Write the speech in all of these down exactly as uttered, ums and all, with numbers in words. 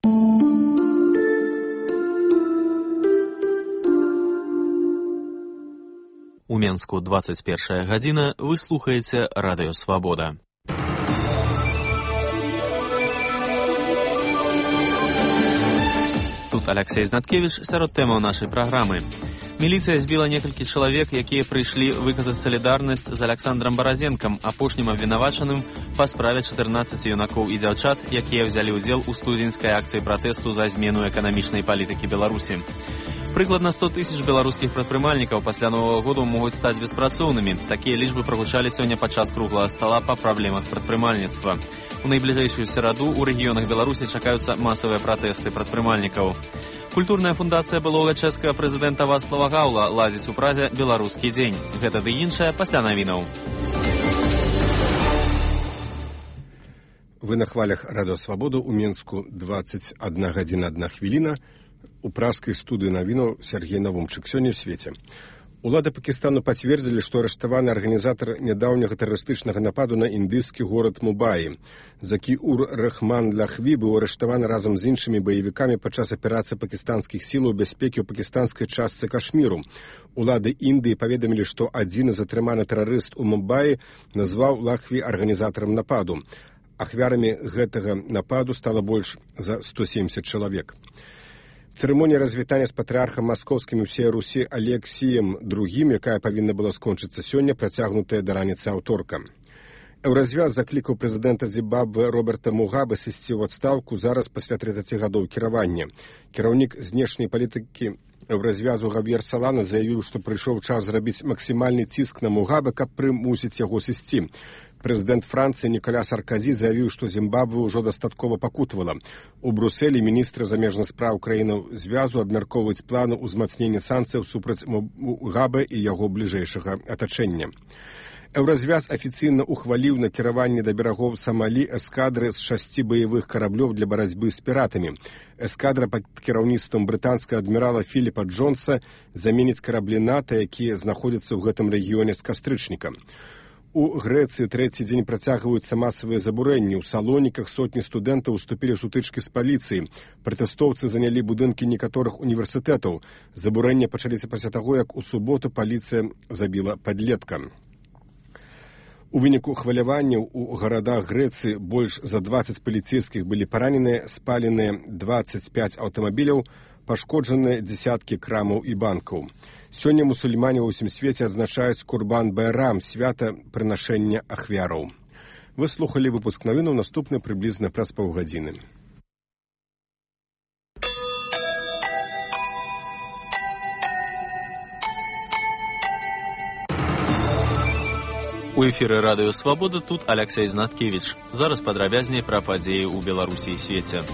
У Менску двадцать першая гадзіна, вы слухаеце Радыё Свабода. Тут Алексей Знаткевич сярод тэмаў нашай праграмы. Міліцыя збіла некалькі чалавек, якія прыйшлі выказаць салідарнасць з Александром Баразенкам, апошнім абвінавачаным па справе чатырнаццаці юнакоў і дзяўчат, якія ўзялі ўдзел у студзеньскай акцыі пратэсту за змену эканамічнай палітыкі Беларусі. Прыкладна сто тысяч беларускіх прадпрымальнікаў пасля Новага году могуць стаць беспрацоўнымі. Такія лічбы прагучалі сёння падчас круглага стала па праблемах прадпрымальніцтва. У найбліжэйшую сераду ў рэгіёнах Беларусі чакаюцца масавыя пратэсты прадпрымальнікаў. Культурная фундацыя былога чэшскага прэзідэнта Вацлава Гаўла ладзіць у Празе беларускі дзень. Гэта ды іншае пасля навінаў. Вы на хвалях Радыё Свабода у Менску двадцать одна гадзіна одна хвіліна. У праскай студыі навінаў Сергей Навумчык. Сёння ў свеце. Улады Пакістану пацвердзілі, што арыштаваны арганізатар нядаўняга тэрарыстычнага нападу на індыйскі горад Мумбаі. Закі-ур Рахман Лахві быў арыштаваны разам з іншымі баевікамі падчас аперацыі пакістанскіх сілаў бяспекі ў пакістанскай частцы Кашміру. Улады Індыі паведамілі, што адзін з атрыманы тэрарыст у Мумбаі назваў Лахві арганізатарам нападу. Ахвярамі гэтага нападу стала больш за сто семьдесят чалавек. Цырымонія развітання з патрыархам маскоўскім і ўсей Русі Алексіем другім, якая павінна была скончыцца сёння, працягнутая да раніцы аўторка. Еўразвяз заклікаў прэзідэнта Зімбабве Роберта Мугабе сысці ў адстаўку зараз пасля трыццаці гадоў кіравання. Кіраўнік знешняй палітыкі Еўразвязу Гавьер Салана заявіў, што прыйшоў час зрабіць максімальны ціск на Мугабе, каб прымусіць яго сысці. Прэзідэнт Францыі Ніколя Сарказі заявіў, што Зімбабве ўжо дастаткова пакутавала. У Брусэлі міністры замежных спраў краінаў звязу абмяркоўваюць планы ўзмацнення санкцыяў супраць Мугабе і яго бліжэйшага атачэння. Еўразвяз афіцыйна ухваліў накіраванне да берагоў Самалі эскадры з шасці баявых караблёў для барацьбы з піратамі. Эскадра пад кіраўніцтвам брытанскага адмірала Філіпа Джонса заменіць караблі НАТО, якія знаходзяцца ў гэтым рэгіёне з кастрычніка. У Грэцыі трэці дзень працягваюцца масавыя забурэнні. У Салоніках сотні студэнтаў уступілі ў сутычкі з паліцыяй. Пратэстоўцы занялі будынкі некаторых універсітэтаў. Забурэнні пачаліся пасля таго, як у суботу паліцыя забіла падлетка. У выніку хваляванняў у гарадах Грэцыі больш за дваццаць паліцейскіх былі параненыя, спаленыя дваццаць пяць аўтамабіляў, пашкоджаныя дзесяткі крамаў і банкаў. Сёння мусульмане ва ўсім свеце адзначаюць Курбан-Байрам, свята прынашэння ахвяраў. Вы слухалі выпуск навінаў, наступны прыблізна праз паўгадзіны. У эфіры Радыё Свабода тут Алексей Знаткевич. Зараз падрабязней пра падзеі ў Беларусі і свеце.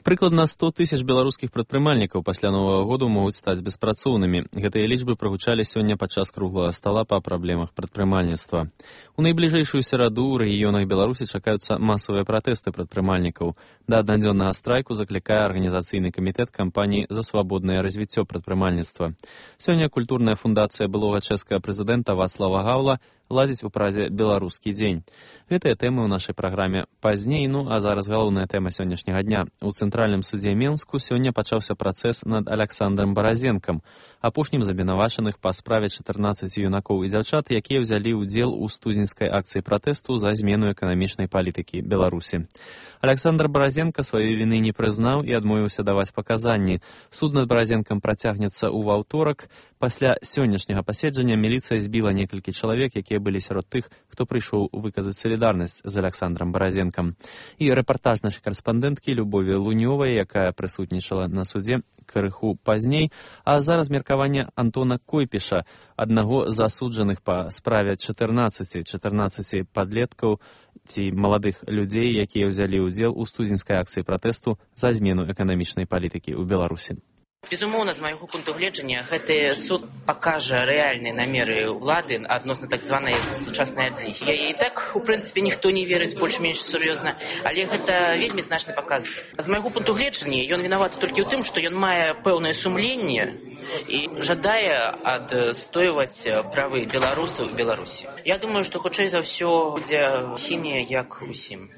Прыкладна сто тысяч беларускіх прадпрымальнікаў пасля Новага году могуць стаць беспрацоўнымі. Гэтыя лічбы прагучалі сёння падчас круглага стала па праблемах прадпрымальніцтва. У найбліжэйшую сераду ў рэгіёнах Беларусі чакаюцца масавыя пратэсты прадпрымальнікаў. Да аднадзённага страйку заклікае арганізацыйны камітэт кампаніі за свабоднае развіццё прадпрымальніцтва. Сёння культурная фундацыя былога чэшскага прэзідэнта Вацлава Гаўла ладзіць у Празе беларускі дзень. Гэтыя тэмы ў нашай праграме пазней, ну а зараз галоўная тэма сённяшняга дня. У цэнтральным судзе Менску сёння пачаўся працэс над Александром Баразенкам, апошнім з абвінавачаных па справе чатырнаццаці юнакоў і дзяўчат, якія ўзялі ўдзел у студзеньскай акцыі пратэсту за змену эканамічнай палітыкі Беларусі. Александр Баразенка сваёй віны не прызнаў і адмовіўся даваць паказанні. Суд над Баразенкам працягнецца ў аўторак. Пасля сённяшняга паседжання міліцыя збіла некалькі чалавек, якія былі сярод тых, хто прыйшоў выказаць салідарнасць з Александром Баразенкам. І рэпартаж нашай карэспандэнткі Любові Лунёвай, якая прысутнічала на судзе крыху пазней, а зараз меркаванне Антона Койпіша, аднаго з асуджаных па справе чатырнаццаці чатырнаццаці падлеткаў ці маладых людзей, якія ўзялі ўдзел у студзеньскай акцыі пратэсту за змену эканамічнай палітыкі ў Беларусі. Безумоўна, з майго пункту гледжання, гэты суд пакажа рэальныя намеры ўлады адносна так званай сучаснай адлігі. Я і так, у прынцыпе, ніхто не верыць больш-менш сур'ёзна, але гэта вельмі значны паказ. З майго пункту гледжання, ён вінаваты толькі ў тым, што ён мае пэўнае сумленне і жадае адстойваць правы беларусаў у Беларусі. Я думаю, што хутчэй за ўсё будзе хімія як усім.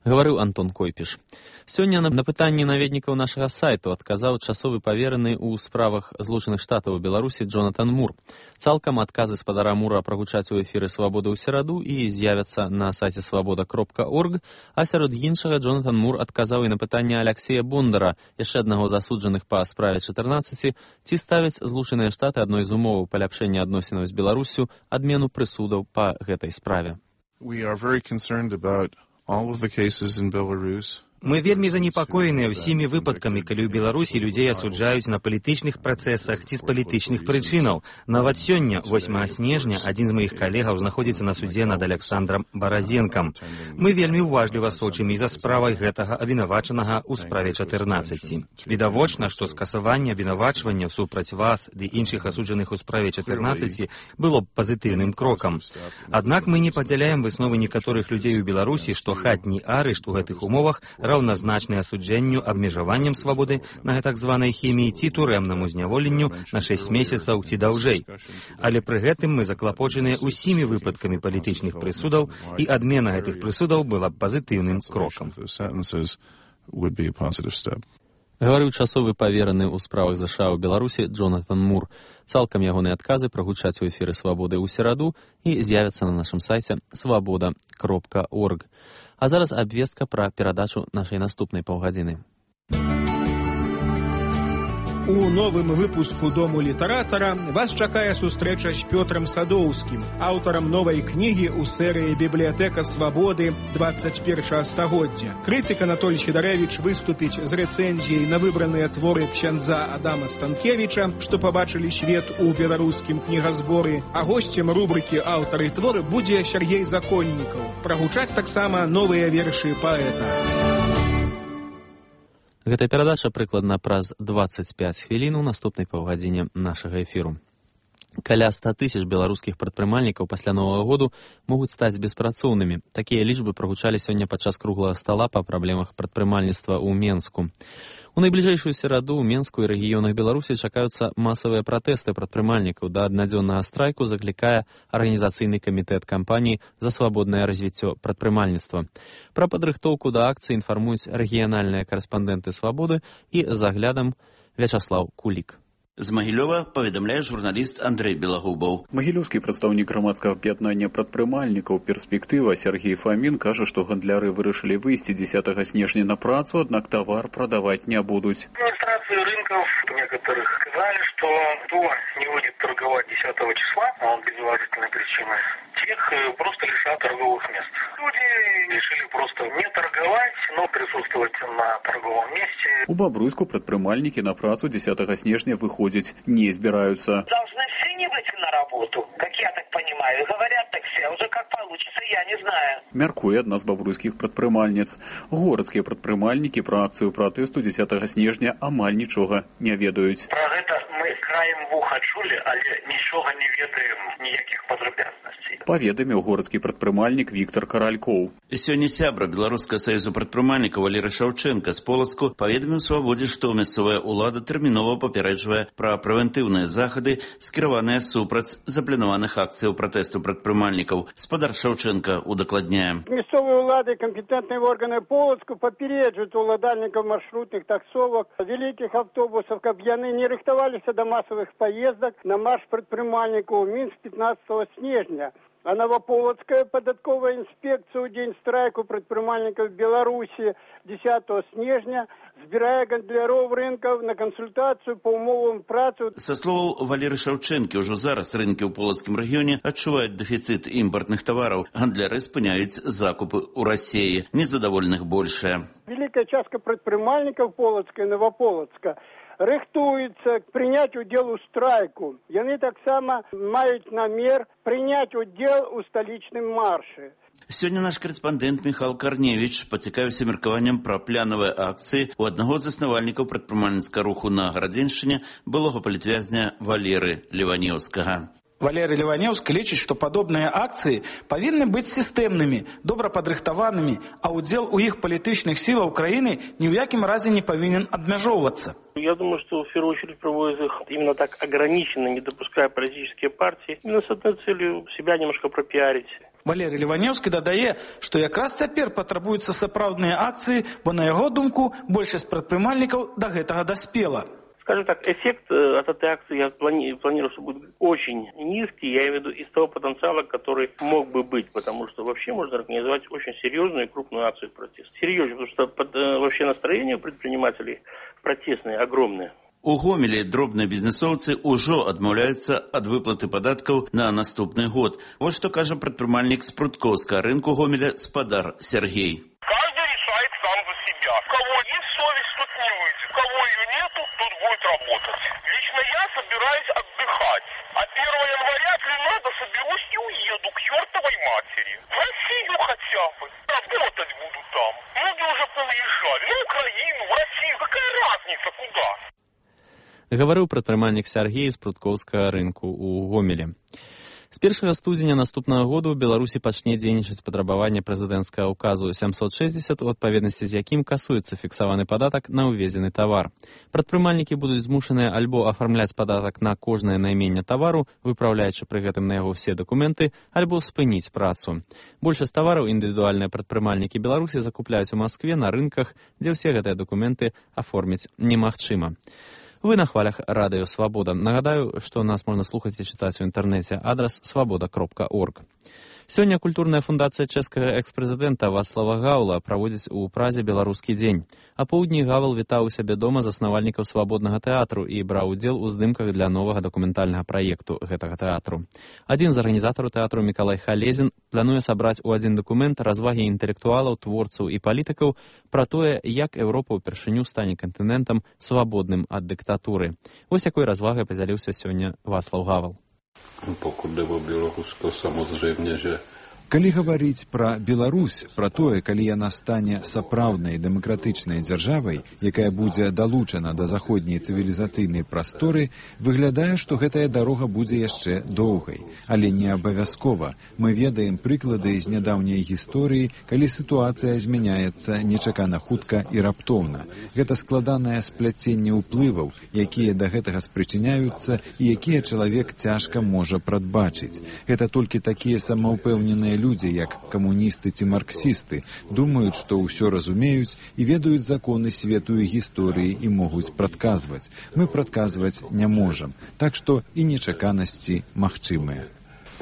Гаварыў Антон Койпіш. Сёння на пытанні наведнікаў нашага сайту адказаў часовы павераны ў справах Злучаных Штатаў у Беларусі Джонатан Мур. Цалкам адказы спадара Мура прагучаць у эфіры «Свабода» ў сераду і з'явяцца на сайце свабода кропка орг, а сярод іншага Джонатан Мур адказаў і на пытанне Аляксея Бондара, яшчэ аднаго засуджаных па справе чатырнаццаць, ці ставяць Злучаныя Штаты адной з умоваў паляпшэння адносінаў з Беларуссю адмену прысудаў па гэтай справе. We are very concerned about all of the cases in Belarus. Мы вельмі занепакоеныя ўсімі выпадкамі, калі ў Беларусі людзей асуджаюць на палітычных працэсах ці з палітычных прычынаў. Нават сёння, восьмага снежня, адзін з маіх калегаў знаходзіцца на судзе над Аляксандрам Баразенкам. Мы вельмі уважліва сочым і за справай гэтага абвінавачанага ў справе чатырнаццаць. Відавочна, што скасаванне абвінавачвання супраць вас ды іншых асуджаных у справе чатырнаццаць было б пазітыўным крокам. Аднак мы не падзяляем высновы некаторых людзей у Беларусі, што хатні арышт у гэтых умовах раўназначны асуджэнню абмежаваннем свабоды на так званай хіміі ці турэмнаму зняволенню на шэсць месяцаў ці даўжэй. Але пры гэтым мы заклапочаныя ўсімі выпадкамі палітычных прысудаў, і адмена гэтых прысудаў была пазітыўным крокам. Гаварыў часовы павераны ў справах ЗША ў Беларусі Джонатан Мур. Цалкам ягоныя адказы прагучаць у эфіры «Свабоды» ў сераду і з'явяцца на нашым сайце свабода кропка орг. А зараз абвестка пра перадачу нашай наступнай паўгадзіны. У новым выпуску «Дому літаратара» вас чакае сустрэча з Пётрам Садоўскім, аўтарам новай кнігі ў серыі «Бібліятэка свабоды двадцать першага стагоддзя». Крытык Анатоль Сідарэвіч выступіць з рэцэнзіяй на выбраныя творы ксяндза Адама Станкевіча, што пабачылі свет у беларускім кнігазборы, а госцем рубрыкі «Аўтары творы» будзе Сяргей Законнікаў. Прагучаць таксама новыя вершы паэта. Гэтая перадача прыкладна праз дваццаць пяць хвілін у наступнай паўгадзіне нашага эфіру. Каля ста тысяч беларускіх прадпрымальнікаў пасля Новага году могуць стаць беспрацоўнымі. Такія лічбы прагучалі сёння падчас круглага стала па праблемах прадпрымальніцтва ў Менску. У найбліжэйшую сераду ў Менску і рэгіёнах Беларусі чакаюцца масавыя пратэсты прадпрымальнікаў. Да аднадзённага страйку заклікае арганізацыйны камітэт кампаніі за свабоднае развіццё прадпрымальніцтва. Пра падрыхтоўку да акцыі інфармуюць рэгіянальныя карэспандэнты «Свабоды» і з аглядам Вячаслаў Кулік. З Магілёва паведамляе журналіст Андрэй Белагубаў. Магілёўскі прадстаўнік грамадскага аб'яднання прадпрымальнікаў «Перспектыва» Сергей Фамін кажа, што гандляры вырашылі выйсці дзесятага снежня на працу, аднак тавар прадаваць не будуць. Администрации рынков некоторых сказали, что кто не будет торговать десятого числа, а он без уважительной причины, тех просто лишат торговых мест. Люди решили просто не торговать, но присутствовать на торговом месте. У Бобруйску прадпрымальнікі на працу дзесятага снежня выходзяць не збіраюцца. Должны все не выйти на работу, как я так понимаю. Говорят так все, уже как получится, я не знаю. Мяркуе адна з бабруйскіх прадпрымальніц. Горадскія прадпрымальнікі пра акцыю пратэсту дзесятага снежня амаль нічога не ведаюць. Про гэта мы краем вуха чулі, але нічога не ведаем, ніякіх падрабязнасцей. Паведаміў горадскі прадпрымальнік Віктор Каралькоў. Сёння сябра Беларускага саюзу прадпрымальнікаў Валерый Шаўчэнка з Полацку паведаміў Свабодзе, што мясцовая ўлада тэрмінова папярэджвае пра прэвентыўныя захады, скіраваныя супраць запланаваных акцыяў пратэсту прадпрымальнікаў. Спадар Шаўчэнка удакладняе. Мясцовыя ўлады і кампетэнтныя органы Полацку папярэджваюць уладальнікаў маршрутных таксовак, вялікіх автобусаў, каб яны не рыхтаваліся да масавых паездак на марш прадпрымальнікаў у Мінск пятнадцатого снежня. А Новополоцкая податковая инспекция ў дзень страйку прадпрымальнікаў Беларусі дзесятого снежня збірае гандляроў рынкаў на кансультацыю па умовам працы. Са словаў Валеры Шаўчэнкі, ўжо зараз рынкі ў полацкім рэгіёне адчуваюць дэфіцыт імпартных тавараў. Гандляры спыняюць закупы ў Расіі. Незадаволеных большая. Великая частка прадпрымальнікаў Полацка і Новополацка рыхтуецца прыняць удзел у страйку. Яны таксама маюць намер прыняць удзел у сталічным маршы. Сёння наш корэспандэнт Міхал Карневіч пацікавіўся меркаваннем пра планавыя акцыі у аднаго з заснавальнікаў прадпрымальніцкага руху на Гарадзеншчыне, былога палітвязня Валеры Леванеўскага. Валерий Леваневский лічыць, што падобныя акцыі павінны быць сістэмнымі, добра падрыхтаванымі, а ўдзел у іх палітычных сілаў краіны ні ў якім разе не павінен абмяжоўвацца. Я думаю, что в первую очередь проводят их именно так ограниченно, не допуская политические партии, именно с этой целью себя немножко пропиарить. Валерий Леваневский дадае, што якраз цяпер патрабуюцца сапраўдныя акцыі, бо на яго думку большасць прадпрымальнікаў да гэтага даспела. Скажем так, эффект от этой акции я плани- планирую, что будет очень низкий, я имею в виду из того потенциала, который мог бы быть, потому что вообще можно организовать очень серьезную и крупную акцию протеста. Серьезно, потому что под, вообще настроение у предпринимателей протестные, огромные. У Гомелі дробныя бізнесоўцы ўжо адмаўляюцца ад выплаты падаткаў на наступны год. Вот што кажа прадпрымальнік з пруткоўскага рынку Гомеля спадар Сергей. Каждый решает сам за себя. У кого есть совесть, тот не выйдет. У кого ее нету, тот будет работать. Лично я собираюсь отдыхать. А первого января, если надо, соберусь и уеду к чертовой матери. В Россию хотя бы. Работать буду там. Многие уже поуезжали. На Украину, в Россию. Какая разница, куда? Гаварыў прадпрымальнік Сергей з пруткоўскага рынку ў Гомелі. З першага студзеня наступнага году ў Беларусі пачне дзейнічаць патрабаванне прэзідэнцкага ўказу сямсот шэсцьдзесят, у адпаведнасці з якім касуецца фіксаваны падатак на ўвезены тавар. Прадпрымальнікі будуць змушаныя альбо афармляць падатак на кожнае найменне тавару, выпраўляючы пры гэтым на яго ўсе дакументы, альбо спыніць працу. Большасць тавараў індывідуальныя прадпрымальнікі Беларусі закупляюць у Маскве на рынках, дзе ўсе гэтыя дакументы аформіць немагчыма. Вы на хвалях Радыё Свабода. Нагадаю, што нас можна слухаць і чытаць у інтэрнэце. Адрас свабода кропка орг. Сёння культурная фундацыя чэшскага экс-прэзідэнта Вацлава Гаўла праводзіць у Празе беларускі дзень. А поўдні Гавел вітаў у сябе дома заснавальнікаў свабоднага тэатру і браў удзел у здымках для новага дакументальнага праекту гэтага тэатру. Адзін з арганізатараў тэатру Мікалай Халезін плануе сабраць у адзін дакумент развагі інтэлектуалаў, творцаў і палітыкаў пра тое, як Еўропа ўпершыню стане кантынентам свабодным ад дыктатуры. Вось якой развагай падзяліўся сёння Вацлаў Гавел. Pokud jde o Bělorusko, samozřejmě, že Калі гаварыць пра Беларусь, пра тое, калі яна стане сапраўднай дэмакратычнай дзяржавай, якая будзе далучана да заходняй цывілізацыйнай прасторы, выглядае, што гэтая дарога будзе яшчэ доўгай. Але не абавязкова. Мы ведаем прыклады з нядаўняй гісторыі, калі сітуацыя змяняецца нечакана хутка і раптоўна. Гэта складанае спляценне ўплываў, якія да гэтага спрычыняюцца і якія чалавек цяжка можа прадбачыць. Гэта толькі такія самаўпэўненыя людзі, як камуністы ці марксісты, думаюць, што ўсё разумеюць і ведаюць законы свету і гісторыі і могуць прадказваць. Мы прадказваць не можам, так што і нечаканасці магчымыя.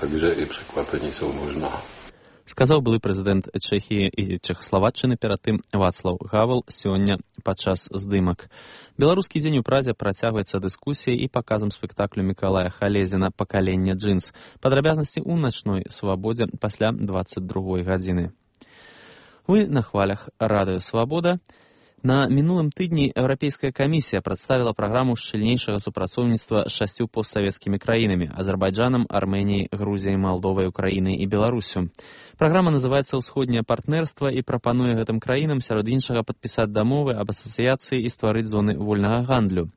Takže i překvapení jsou možná. Сказаў былы прэзідэнт Чэхіі і Чэхаславаччыны перад тым Вацлаў Гавел сёння падчас здымак. Беларускі дзень у Празе працягваецца дыскусіяй і паказам спектаклю Мікалая Халезіна «Пакаленне джинс». Падрабязнасці ў начной свабодзе пасля дваццаць другой гадзіны. Вы на хвалях Радыё Свабода. На мінулым тыдні Еўрапейская камісія прадставіла праграму шчыльнейшага супрацоўніцтва з шасцю постсавецкімі краінамі – Азербайджанам, Арменіяй, Грузіяй, Малдовай, Украінай і Беларусю. Праграма называецца «Усходняе партнерства» і прапануе гэтым краінам сярод іншага падпісаць дамовы аб асацыяцыі і стварыць зоны вольнага гандлю.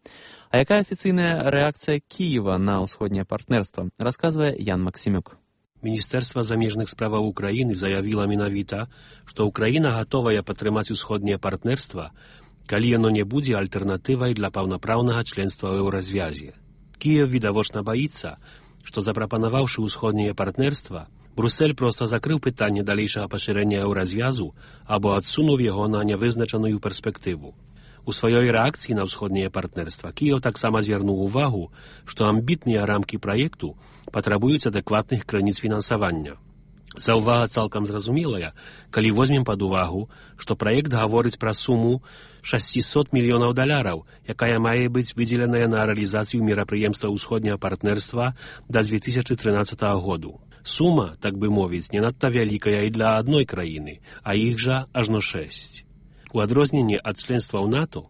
А якая афіцыйная рэакцыя Кіева на ўсходняе партнерства, расказвае Ян Максімюк. Міністэрства замежных справаў Украіны заявіла менавіта, што Украіна гатовая падтрымаць усходняе партнерства, калі яно не будзе альтэрнатывай для паўнапраўнага членства ў еўразвязе. Кіев відавочна баіцца, што запрапанаваўшы ўсходняе партнерства, Брусэль проста закрыў пытанне далейшага пашырэння еўразвязу або адсунуў яго на нявызначаную перспектыву. У сваёй рэакцыі на ўсходняе партнерства Кіев таксама звярнуў увагу, што амбітныя рамкі праекту патрабуюць адэкватных крыніц фінансавання. Заўвага цалкам зразумелая, калі возьмем пад увагу, што праект гаворыць пра суму шасцісот мільёнаў даляраў, якая мае быць выдзеленая на рэалізацыю мерапрыемства ўсходняга партнерства да дзве тысячы трынаццатага году. Сума, так бы мовіць, не надта вялікая і для адной краіны, а іх жа ажно шэсць. У адрозненні ад членства ў НАТО,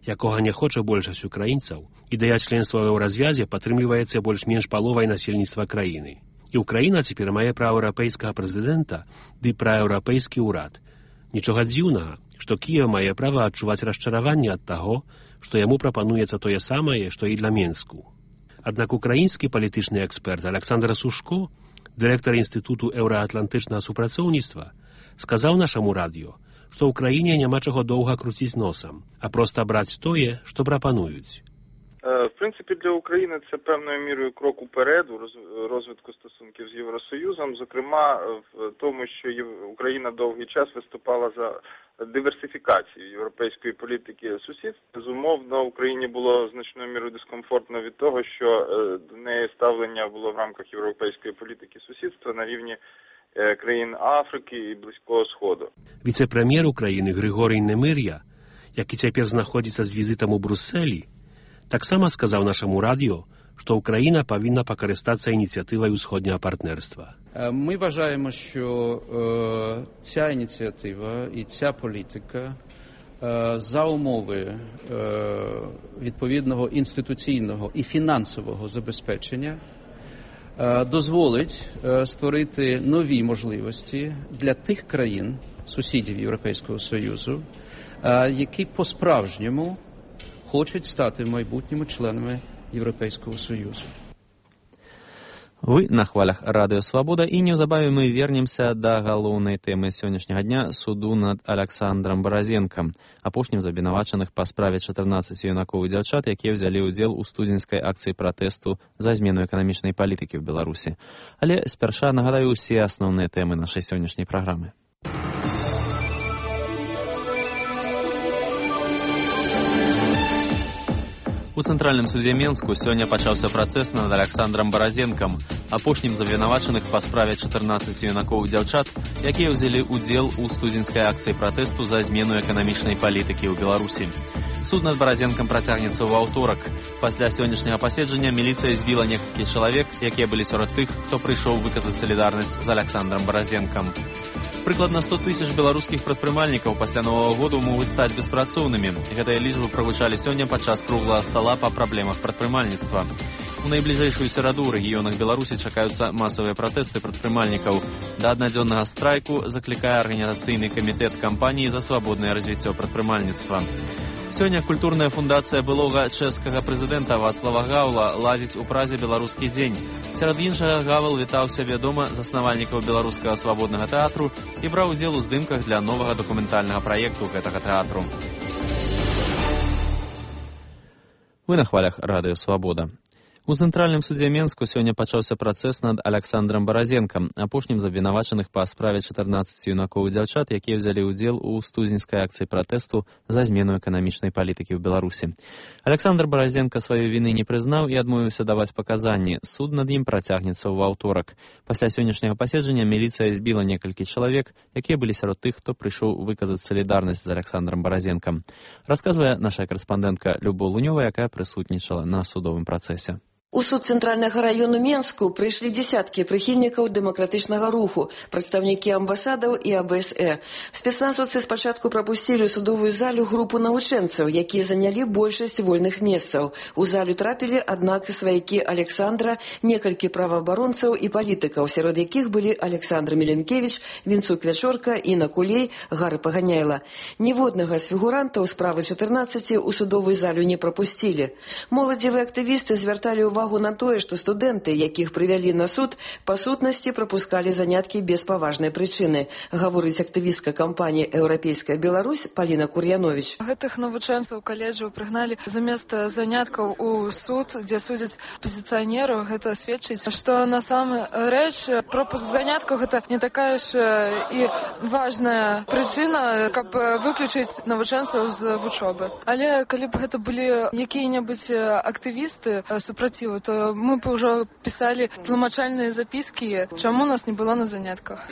якога не хоча большасць украінцаў, ідэя членства ў еўразвязе падтрымліваецца больш-менш паловай насельніцтва краіны. І Украіна цяпер мае праеўрапейскага прэзідэнта ды праеўрапейскі ўрад. Нічога дзіўнага, што Кіев мае права адчуваць расчараванне ад таго, што яму прапануецца тое самае, што і для Менску. Аднак украінскі палітычны эксперт Александр Сушко, дырэктар Інстытуту еўраатлантычнага супрацоўніцтва, сказаў нашаму радыё, што ў краіне няма чаго доўга круціць носам, а проста браць тое, што прапануюць. В принципі, для України це певною мірою крок уперед у розвитку стосунків з Євросоюзом, зокрема в тому, що Україна довгий час виступала за диверсифікацію європейської політики сусідства. Безумовно, Україні було значною мірою дискомфортно від того, що до неї ставлення було в рамках європейської політики сусідства на рівні країн Африки і Близького Сходу. Віце-прем'єр України Григорій Немир'я, який цяпер знаходзіцца з візитам у Брюсселі, таксама сказаў нашаму радіо, що Україна повинна покористатися ініціативою Сходнього партнерства. Ми вважаємо, що е, ця ініціатива і ця політика е, за умови е, відповідного інституційного і фінансового забезпечення е, дозволить е, створити нові можливості для тих країн, сусідів Європейського Союзу, е, які по-справжньому хочуть стати майбутніми членами Європейського Союзу. Вы на хвалях Радыё Свабода, і неўзабаве мы вернемся да галоўнай тэмы сённяшняга дня — суду над Александром Баразенкам, апошнім з абвінавачаных па справе чатырнаццаць юнакоў і дзяўчат, якія ўзялі ўдзел у студзеньскай акцыі пратэсту за змену эканамічнай палітыкі ў Беларусі. Але спярша нагадаю ўсе асноўныя тэмы нашай сённяшняй праграмы. У Цэнтральным судзе Менску сёння пачаўся працэс над Александром Баразенкам, апошнім з абвінавачаных па справе чатырнаццаць юнакоў і дзяўчат, якія ўзялі ўдзел у студзеньскай акцыі пратэсту за змену эканамічнай палітыкі ў Беларусі. Суд над Баразенкам працягнецца ў аўторак. Пасля сённяшняга паседжання міліцыя збіла некалькі чалавек, якія былі сярод тых, хто прыйшоў выказаць салідарнасць з Александром Баразенкам. Прыкладна сто тысяч беларускіх прадпрымальнікаў пасля Новага году могуць стаць беспрацоўнымі. Гэтыя лічбы прагучалі сёння падчас круглага стала па праблемах прадпрымальніцтва. У найбліжэйшую сераду ў рэгіёнах Беларусі чакаюцца масавыя пратэсты прадпрымальнікаў. Да аднадзённага страйку заклікае арганізацыйны камітэт кампаніі за свабоднае развіццё прадпрымальніцтва. Сёння культурная фундацыя былога чэшскага прэзідэнта Вацлава Гаўла ладзіць у Празе беларускі дзень. Сярод іншага Гавел вітаўся вядома заснавальнікаў беларускага свабоднага тэатру і браў удзел у здымках для новага дакументальнага праекту гэтага тэатру. Вы на хвалях Радыё Свабода. У Цэнтральным судзе Менску сёння пачаўся працэс над Александром Баразенкам, апошнім з абвінавачаных па справе чатырнаццаць юнакоў і дзяўчат, якія ўзялі ўдзел у студзеньскай акцыі пратэсту за змену эканамічнай палітыкі ў Беларусі. Александр Баразенка сваёй віны не прызнаў і адмовіўся даваць паказанні. Суд над ім працягнецца ў аўторак. Пасля сённяшняга паседжання міліцыя збіла некалькі чалавек, якія былі сярод тых, хто прыйшоў выказаць салідарнасць з Александром Баразенкам. Расказвае наша карэспандэнтка Любоў Лунёва, якая прысутнічала на судовым працэсе. У суд Цэнтральнага раёну Менску прыйшлі дзесяткі прыхільнікаў дэмакратычнага руху, прадстаўнікі амбасадаў і А Б С Э. Спецназаўцы спачатку прапусцілі ў судовую залю групу навучэнцаў, якія занялі большасць вольных месцаў. У залю трапілі, аднак, сваякі Александра, некалькі праваабаронцаў і палітыкаў, сярод якіх былі Александр Міленкевіч, Вінцук Вячорка, Інна Кулей, Гары Паганяйла. Ніводнага з фігурантаў справы чатырнаццаці ў судовую залю не прапусцілі. Моладзевыя актывісты звярталі ўвагу увагу на тое, што студэнты, якіх прывялі на суд, па сутнасці прапускалі заняткі без паважнай прычыны, гаворыць актывістка кампаніі «Еўрапейская Беларусь» Паліна Кур'яновіч. Гэтых навучэнцаў каледжаў прыгналі замест заняткаў у суд, дзе судзяць апазіцыянераў. Гэта сведчыць, што на самой рэч пропуск заняткаў гэта не такая ж і важная прычына, каб выключыць навучэнцаў з вучобы. Але калі б гэта былі якія-небудзь актывісты супраціў, то мы бы уже писали тлумачальные записки, чему нас не было на занятках.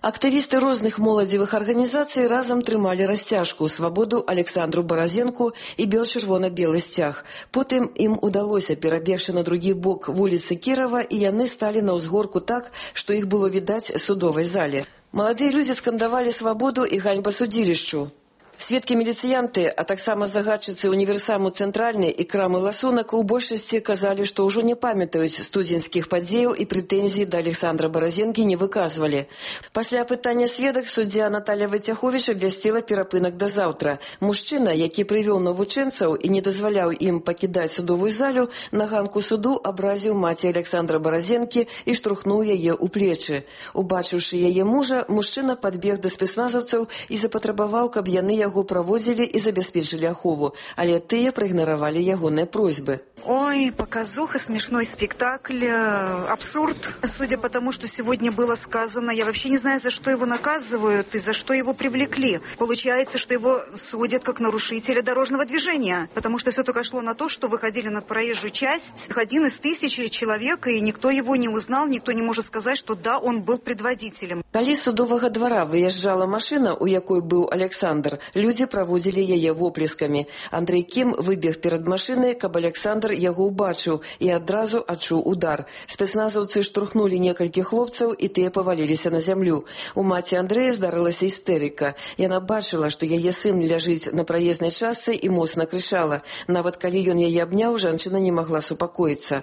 Актывісты розных моладзевых арганізацый разам трымалі расцяжку, свабоду Александру Баразенку і бел-чырвона-белы сцяг. Потым ім удалося перабегчы на другі бок вуліцы Кірава, і яны сталі на ўзгорку так, што іх было відаць судовай зале. Маладыя людзі скандавалі свабоду і ганьба судзілішчу. Сведкі-міліцыянты, а таксама загадчыцы універсаму «Цэнтральны» і крамы «Ласунак» у большасці казалі, што ўжо не памятаюць студзеньскіх падзеяў і прэтэнзій да Александра Баразенкі не выказвалі. Пасля апытання сведак суддзя Наталья Вайцяховіч абвясціла перапынак да заўтра. Мужчына, які прывёў навучэнцаў і не дазваляў ім пакідаць судовую залю, на ганку суду абразіў маці Александра Баразенкі і штурхнуў яе ў плечы. Убачыўшы яе мужа, мужчына падбег да спецназаўцаў і запатрабаваў, каб яны яго праводзілі і забяспечылі ахову, але тыя праігнаравалі ягоныя просьбы. Ой, показуха, смешной спектакль, абсурд. Судя по тому, что сегодня было сказано, я вообще не знаю, за что его наказывают и за что его привлекли. Получается, что его судят как нарушителя дорожного движения, потому что все только шло на то, что выходили на проезжую часть один из тысячи человек, и никто его не узнал, никто не может сказать, что да, он был предводителем. Калі з судовага двара выязджала машина, у якой быў Александр, людзі праводзілі яе воплескамі. Андрей Кім выбег перад машинай, каб Александр яго ўбачыў і адразу адчуў удар. Спецназаўцы штурхнулі некалькі хлопцаў, і тыя паваліліся на зямлю. У маці Андрэя здарылася істэрыка. Яна бачыла, што яе сын ляжыць на праезнай частцы і моцна крычала. Нават калі ён яе абняў, жанчына не магла супакоіцца.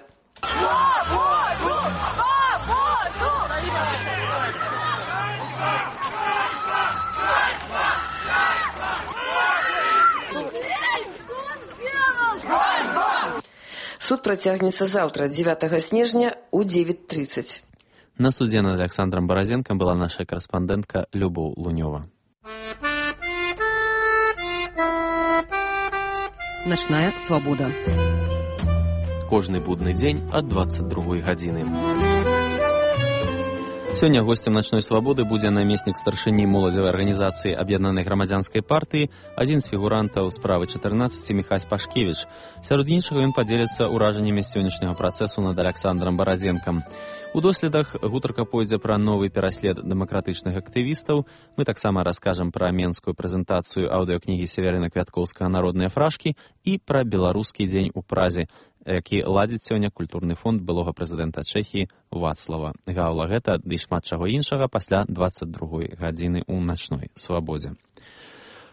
Суд працягнецца заўтра, дзевятага снежня, у девять тридцать. На суде над Александром Баразенком была наша корреспондентка Любов Лунёва. Ночная свобода. Кожны будны дзень ад двадцать другой гадзіны. Сёння гостем «Ночной свободы» будзе намеснік старшыні моладзевай арганізацыі Аб'яднанай грамадзянскай партыі, адзін з фігурантаў справы чатырнаццаць Міхась Пашкевіч. Сярод іншага ён падзеліцца ўражаннямі сённяшняга працэсу над Александром Баразенкам. У доследах гутарка пойдзе пра новы пераслед дэмакратычных актывістаў. Мы таксама раскажам пра менскую прэзентацыю аўдыёкнігі Северына Квяткоўскага «Народныя фражкі» і пра беларускі дзень у Празе, які ладзіць сёння культурны фонд былога прэзідэнта Чэхіі Вацлава Гаўла. Гэта ды шмат чаго іншага пасля двадцать другой гадзіны ў начной свабодзе.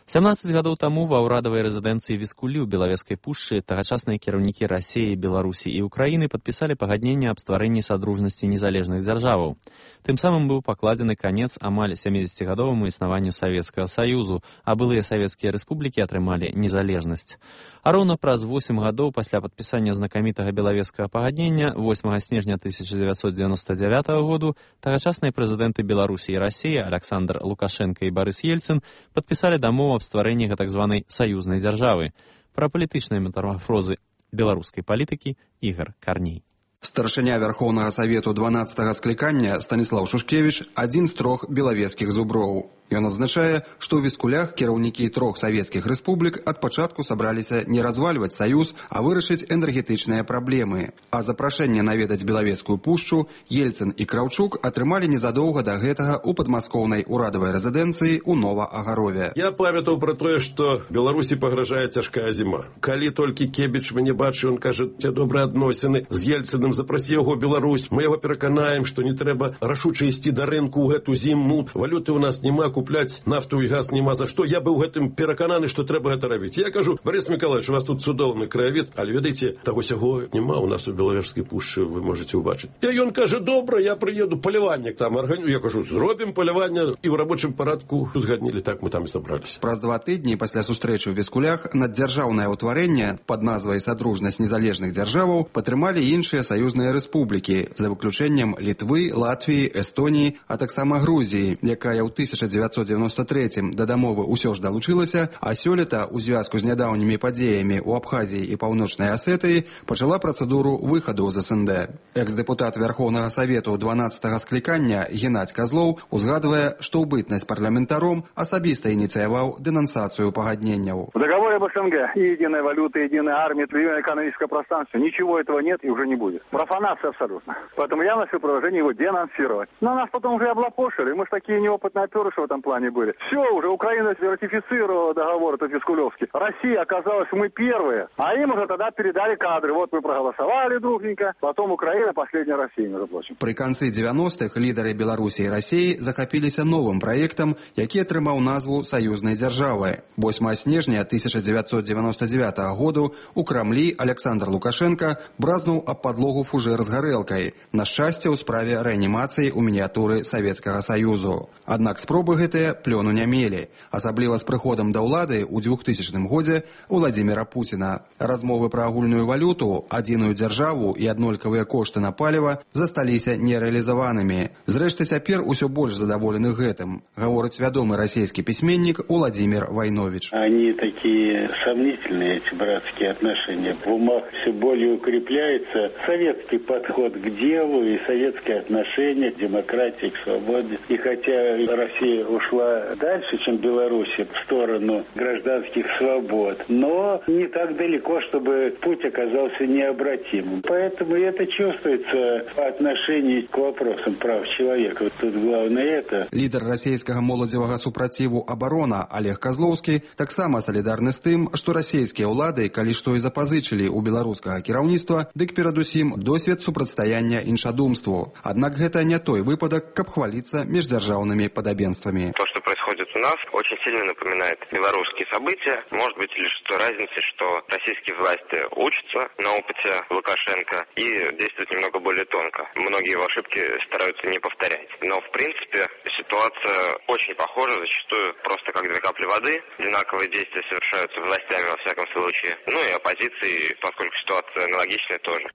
сямнаццаць гадоў таму ва ўрадавай рэзідэнцыі Віскулі ў Белавежскай пушчы тагачасныя кіраўнікі Расіі, Беларусі і Украіны падпісалі пагадненне аб стварэнні садружнасці незалежных дзяржаваў. Тым самым быў пакладзены канец амаль сямідзесяцігадоваму існаванню Савецкага Саюзу, а былыя савецкія рэспублікі атрымалі незалежнасць. А роўна праз восем гадоў пасля падпісання знакамітага Белавежскага пагаднення восьмага снежня тысяча дзевяцьсот дзевяноста дзявятага году тагачасныя прэзідэнты Беларусі і Расіі Александр Лукашенко і Барыс Ельцын падпісалі дамову аб стварэнні так званай саюзнай дзяржавы. Пра палітычныя метамарфозы беларускай палітыкі Ігар Карней. Старшыня Вярхоўнага Савету дванаццатага склікання Станіслаў Шушкевіч адзін з трох белавежскіх зуброў. Ён адзначае, што ў Віскулях кіраўнікі трох савецкіх рэспублік ад пачатку сабраліся не развальваць саюз, а вырашыць энергетычныя праблемы. А запрашэнне наведаць Белавежскую пушчу Ельцын і Краўчук атрымалі незадоўга да гэтага ў падмаскоўнай урадавай рэзідэнцыі ў Нова-Агарове. Я памятаў пра тое, што Беларусі пагражае цяжкая зіма. Калі толькі Кебіч мяне бачыў, ён кажа, ці добрыя адносіны з Ельцыным, запрасі яго Беларусь, мы яго пераканаем, што не трэба рашуча ісці да рынку ў гэту зіму, валюты ў нас няма, купляць нафту і газ няма за што. Я быў гэтым перакананы, што трэба гэта рабіць. Я кажу, Борис Миколаевич, у вас тут цудоўны краявід, але ведаеце, таго сяго няма у нас у Белавежскай пушчы, вы можете ўбачыць. І ён кажа, добра, я прыеду, паляванне там арганю. Я кажу, зробім паляванне, і ў рабочым парадку узгаднілі, так мы там і сабраліся. Праз два тыдні пасля сустрэчы ў Віскулях наддзяржаўнае ўтварэнне пад назвай «Садружнасць незалежных дзяржаваў» падтрымалі іншыя саюзныя рэспублікі, за выключэннем Літвы, Латвіі, Эстоніі, а таксама Грузіі, якая ў тысяча дзевяцьсот девяносто третьем да дамовы ўсё ж далучылася, а сёлета ў звязку з нядаўнімі падзеямі ў Абхазіі і Паўночнай Асетыі пачала працэдуру выхаду з СНД. Экс-дэпутат Вярхоўнага Савету дванаццатага склікання Геннадзь Казлоў узгадвае, што ў бытнасць парламентаром асабіста ініцыяваў денонсацыю пагадненняў. В договоре об СНГ и единая валюта, единая армия, единое экономическое пространство. Ничего этого нет и уже не будет. Профанация абсолютно. Поэтому я вношу предложение его денонсировать. Но нас потом уже облапошили. Мы же такие неопытные оперы, что там этом плане были. Все, уже Украина ратифицировала договор этот Вискулевский. Россия оказалась, мы первые, а им уже тогда передали кадры. Вот мы проголосовали дружненько, потом Украина, последняя Россия, между прочим. При канцы девяностых лідары Беларусі і Расіі захапіліся новым праектам, які атрымаў назву саюзнай дзяржавы. восьмага снежня тысяча девятьсот девяносто девятого году у Крамлі Александр Лукашенко бразнуў аб падлогу фужэр з гарэлкай, на шчасце ў справе рэанімацыі ў мініятуры Савецкага Саюзу. Аднак спробы гэтыя плёну не мелі, асабліва з прыходам да ўлады ў двухтысячным годзе Владзіміра Пуціна. Размовы пра агульную валюту, адзіную дзяржаву і аднолькавыя кошты на паліва засталіся нерэалізаванымі. Зрэшты, цяпер усё больш задаволены гэтым, гаворыць вядомы расійскі пісьменнік Владимир Войнович. Они такие сомнительные, эти братские отношения. В умах все более укрепляется советский подход к делу и советские отношения к демократии, к свободе. И хотя Россия ушла дальше, чем Беларусь, в сторону гражданских свобод, но не так далеко, чтобы путь оказался необратимым. Поэтому это чувствуется по отношению к вопросам прав человека. Вот тут главное это. Лідар расійскага моладзевага супраціву «Абарона» Олег Козловскі таксама салідарны з тым, што расійскія ўлады, калі што і запазычылі ў беларускага кіраўніцтва, дык перадусім досвед супрацьстаяння іншадумству. Аднак гэта не той выпадак, каб хваліцца міждзяржаўнымі падабенствамі. То, что происходит у нас, очень сильно напоминает белорусские события. Может быть лишь той разницей, что российские власти учатся на опыте Лукашенко и действуют немного более тонко. Многие его ошибки стараются не повторять. Но, в принципе, ситуация очень похожа, зачастую просто как две капли воды. Одинаковые действия совершаются властями во всяком случае. Ну и оппозицией, поскольку ситуация аналогичная, тоже.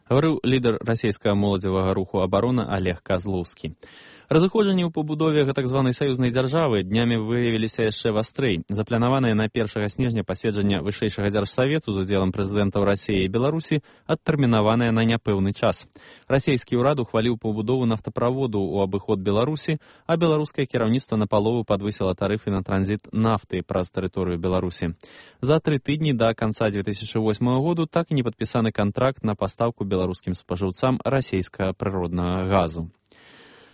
Говорил лидер российского молодзевага руху «Оборона» Олег Козловский. Разыходжанні ў пабудове так званай саюзнай дзяржавы днямі выявіліся яшчэ вастрэй. Запланаванае на першага снежня паседжанне вышэйшага дзяржсавету з удзелам прэзідэнтаў Расіі і Беларусі адтэрмінаванае на няпэўны час. Расійскі ўрад ухваліў пабудову нафтаправоду ў абыход Беларусі, а беларускае кіраўніцтва напалову падвысіла тарыфы на транзіт нафты праз тэрыторыю Беларусі. За тры тыдні да канца две тысячи восьмого году так і не падпісаны кантракт на пастаўку беларускім спажыўцам расійскага прыроднага газу.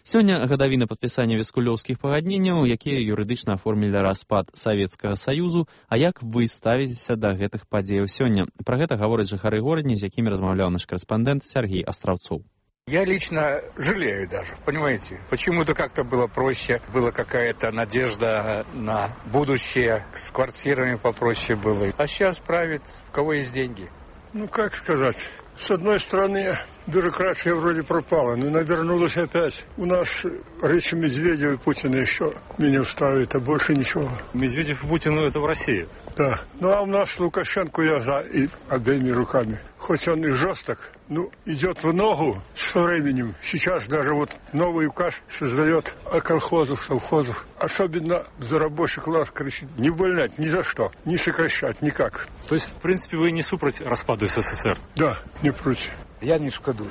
Сёння гадавіна падпісання віскулёўскіх пагадненняў, якія юрыдычна аформілі распад Савецкага Саюзу, а як вы ставіцеся да гэтых падзеяў сёння? Пра гэта гавораць жыхары горадні, з якімі размаўляў наш корэспондэнт Сергей Астраўцоў. Я лично жалею даже, понимаете? Почему-то как-то было проще, была какая-то надежда на будущее, с квартирами попроще было. А сейчас правит, у кого есть деньги. Ну, как сказать... С одной стороны, бюрократия вроде пропала, но навернулась опять. У нас речи Медведева и Путина еще меня устраивает, а больше ничего. Медведев и Путин, это в России. Да. Ну, а у нас Лукашенко я за и обеими руками. Хоть он и жесток, ну, идет в ногу со временем. Сейчас даже вот новый указ создает о колхозах, совхозах. Особенно за рабочий класс кричит. Не увольнять ни за что, не сокращать никак. То есть, в принципе, вы не супроть распаду СССР? Да, не против. Я не шкодую.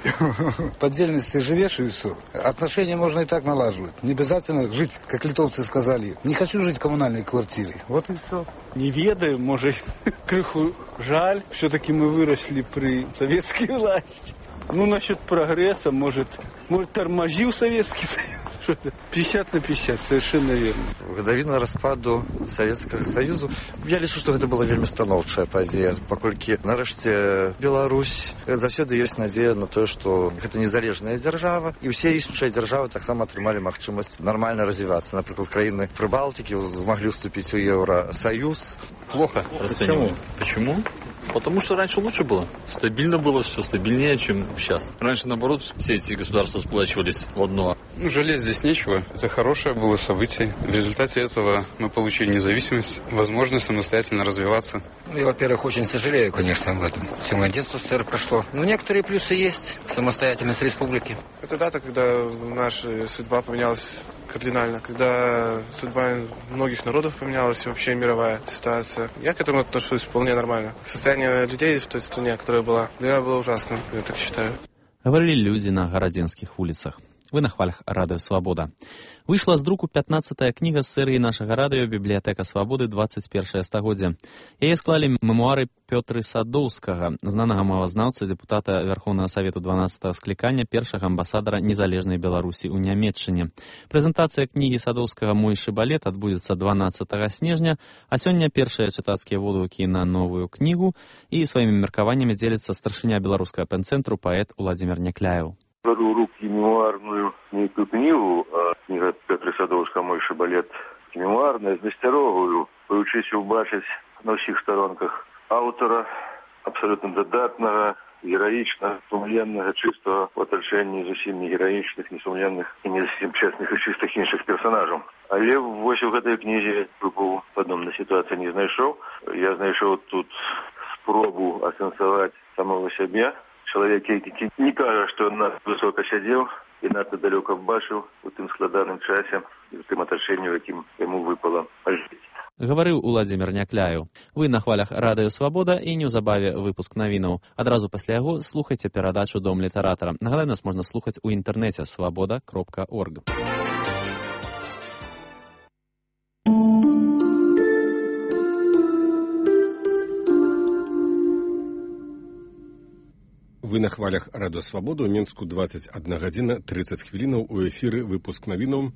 По отдельности живешь и все. Отношения можно и так налаживать. Не обязательно жить, как литовцы сказали. Не хочу жить в коммунальной квартире. Вот и все. Не ведаю, может, крыху жаль. Все-таки мы выросли при советской власти. Ну, насчет прогресса, может, может тормозил Советский Союз. пятьдесят на пятьдесят, совершенно верно. Гадавіна распаду Савецкага Саюзу. Я лічу, што гэта была вельмі станоўчая падзея, паколькі нарэшце Беларусь заўсёды ёсць надзея на тое, што гэта незалежная дзяржава, і ўсе іншыя дзяржавы таксама атрымалі магчымасць нармальна развівацца. Напрыклад, краіны Прыбалтыкі змаглі ўступіць у Еўросоюз. Плохо расцениваю. Почему? Потому что раньше лучше было. Стабильно было, все стабильнее, чем сейчас. Раньше, наоборот, все эти государства сплачивались в одно. Ну, жалеть здесь нечего. Это хорошее было событие. В результате этого мы получили независимость, возможность самостоятельно развиваться. Ну, я, во-первых, очень сожалею, конечно, об этом. Все мое детство в СССР прошло. Но некоторые плюсы есть. Самостоятельность республики. Это дата, когда наша судьба поменялась кардинально, когда судьба многих народов поменялась и вообще мировая ситуация. Я к этому отношусь вполне нормально. Состояние людей в той стране, которая была, для меня было ужасным, я так считаю. Говорили люди на городинских улицах. Вы на хвалях радыё «Свабода». Выйшла з друку пятнаццатая кніга з серыі нашага радыё «Бібліятэка свабоды двадцать першае стагоддзе». Яе склалі мемуары Пётры Садоўскага, знанага мовазнаўцы, дэпутата Вярхоўнага Савету дванаццатага склікання, першага амбасадара незалежнай Беларусі ў Нямецчыне. Прэзентацыя кнігі Садоўскага «Мой шыбалет» адбудзецца дванаццатага снежня, а сёння першыя чытацкія водгукі на новую кнігу і сваімі меркаваннямі дзеліцца старшыня беларускага пэн-цэнтру паэт Уладзімір Някляеў. Беру в руки мемуарную некую книгу, а книга Петра Садовского «Мой шибалет» мемуарная, знасцярогую, вивчись убачить на всіх сторонках автора, абсолютно додатного, героичного, сумленного, чистого, в оточенні зовсім не героичных, не сумленных и не зовсім честных и чистых інших персонажів. Але ось у этой книге був подобна ситуація не знайшов. Я знайшов тут спробу асенсувати самого себе. Чоловік, який не каже, що надто високо сидів і надто далеко бачив у тим складаним часі, і в тим оточенні, яким йому випало жити. Гаварыў Уладзімір Някляеў. Вы на хвалях радыё «Свабода» і неўзабаве выпуск навінаў. Адразу пасля яго слухайце перадачу «Дом літаратара». Нагадаю, нас можна слухаць у інтэрнэце свабода кропка орг. Вы на хвалях радыё «Свабода» ў Мінску двадцать одна гадзіна тридцать хвілінаў у эфіры выпуск навінаў.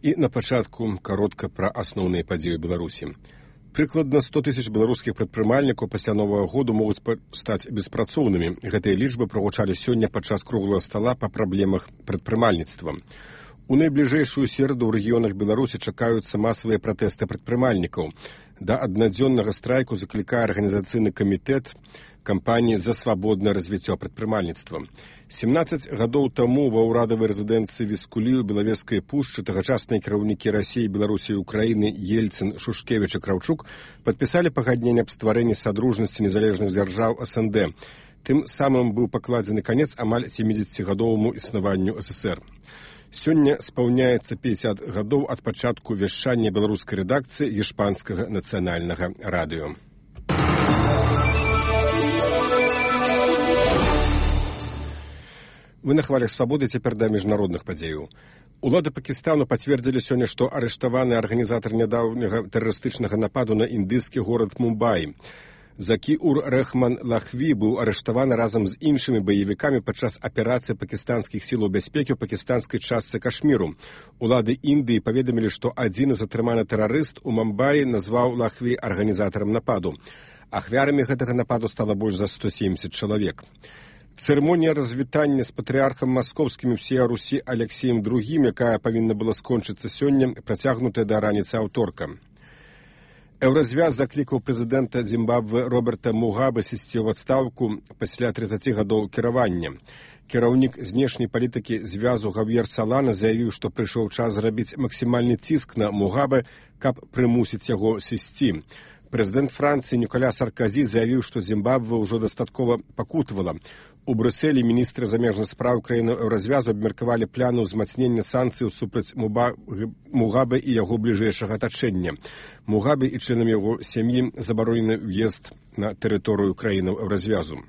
І на пачатку каротка пра асноўныя падзеі ў Беларусі. Прыкладна сто тысяч беларускіх прадпрымальнікаў пасля новага году могуць стаць беспрацоўнымі. Гэтыя лічбы прагучалі сёння падчас круглага стала па праблемах прадпрымальніцтва. У найбліжэйшую сераду ў рэгіёнах Беларусі чакаюцца масавыя пратэсты прадпрымальнікаў. Да аднадзённага страйку заклікае арганізацыйны камітэт кампаніі за свабоднае развіццё прадпрымальніцтва. семнадцаць гадоў таму ва ўрадавай рэзідэнцыі Віскулі ў Белавежскай пушчы тагачасныя кіраўнікі Расіі, Беларусі і Украіны Ельцын, Шушкевіч і Краўчук падпісалі пагадненне аб стварэнні садружнасці незалежных дзяржаў эс эн дэ. Тым самым быў пакладзены канец амаль сямідзесяцігадоваму існаванню эс эс эр. Сёння спаўняецца пятьдесят гадоў ад пачатку вяшчання беларускай рэдакцыі Іспанскага нацыянальнага радыё. Вы на хвалях «Свабоды», цяпер да міжнародных падзеяў. Улады Пакістану пацвердзілі сёння, што арыштаваны арганізатар нядаўняга тэрарыстычнага нападу на індыйскі горад Мумбаі. Закі-ур-Рэхман Лахві быў арыштаваны разам з іншымі баевікамі падчас аперацыі пакістанскіх сілаў бяспекі ў пакістанскай частцы Кашміру. Улады Індыі паведамілі, што адзін затрыманы тэрарыст у Мумбаі назваў Лахві арганізатарам нападу. Ахвярамі гэтага нападу стала больш за сто семьдесят чалавек. Цырымонія развітання з патрыархам маскоўскім ўсея Русі Алексеем другім, якая павінна была скончыцца сёння, працягнутая да раніцы аўторка. Еўразвяз заклікаў прэзідэнта Зімбабве Роберта Мугабе сысці ў адстаўку пасля тридцати гадоў кіравання. Кіраўнік знешняй палітыкі звязу Гав'ер Салана заявіў, што прыйшоў час зрабіць максімальны ціск на Мугабе, каб прымусіць яго сысці. Прэзідэнт Францыі Ніколя Сарказі заявіў, што Зімбабве ўжо дастаткова пакутавала. У Брюсселі міністры замежных спраў краіны Еўразвязу абмеркавалі плану ўзмацнення санкцыяў супраць Мугабе і яго бліжэйшага атачэння. Мугабе і членам яго сям'і забаронены ўезд на тэрыторыю краінаў Еўразвязу.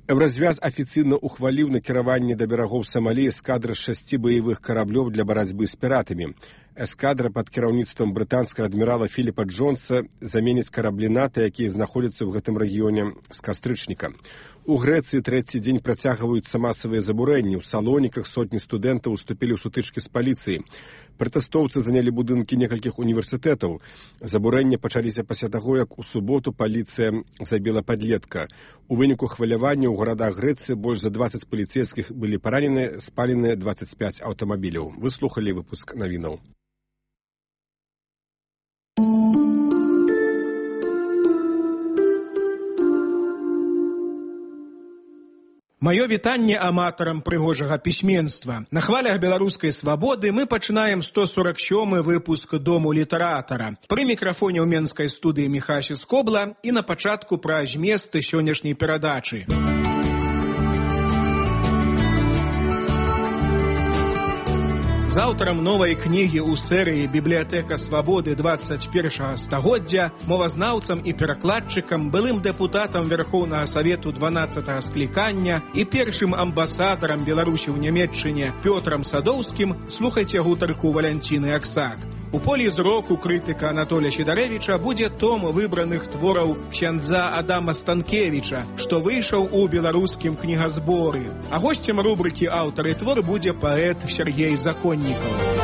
Еўразвяз афіцыйна ухваліў накіраванне да берагоў Самалі эскадры з шасці баявых караблёў для барацьбы з піратамі. Эскадра пад кіраўніцтвам брытанскага адмірала Філіпа Джонса заменіць караблі НАТО, якія знаходзяцца ў гэтым рэгіёне з кастрычніка. У Грэцыі трэці дзень працягваюцца масавыя забурэнні. У Салоніках сотні студэнтаў уступілі ў сутычкі з паліцыяй. Пратэстоўцы занялі будынкі некалькіх універсітэтаў. Забурэнні пачаліся пасля таго, як у суботу паліцыя забіла падлетка. У выніку хвалявання ў гарадах Грэцыі больш за двадцать паліцейскіх былі паранены, спалены двадцать пять аўтамабіляў. Вы слухалі выпуск навінаў. Маё вітанне аматарам прыгожага пісьменства. На хвалях беларускай свабоды мы пачынаем сто сорок сёмы выпуск Дому літаратара. Пры мікрафоне ў менскай студыі Міхася Скобла і на пачатку пра зместы сённяшняй перадачы. З аўтарам новай кнігі ў серыі «Бібліятэка свабоды двадцать першага стагоддзя», мовазнаўцам і перакладчыкам, былым дэпутатам Верхоўнага Савету дванаццатага склікання і першым амбасадарам Беларусі ў Нямецчыне Пётрам Садоўскім слухайце гутарку Валянціны Аксак. У полі зроку крытыка Анатолія Сідарэвіча будзе том выбраных твораў ксяндза Адама Станкевіча, што выйшаў у беларускім кнігазборы. А госцем рубрыкі «Аўтар і твор» будзе паэт Сергей Законнікаў.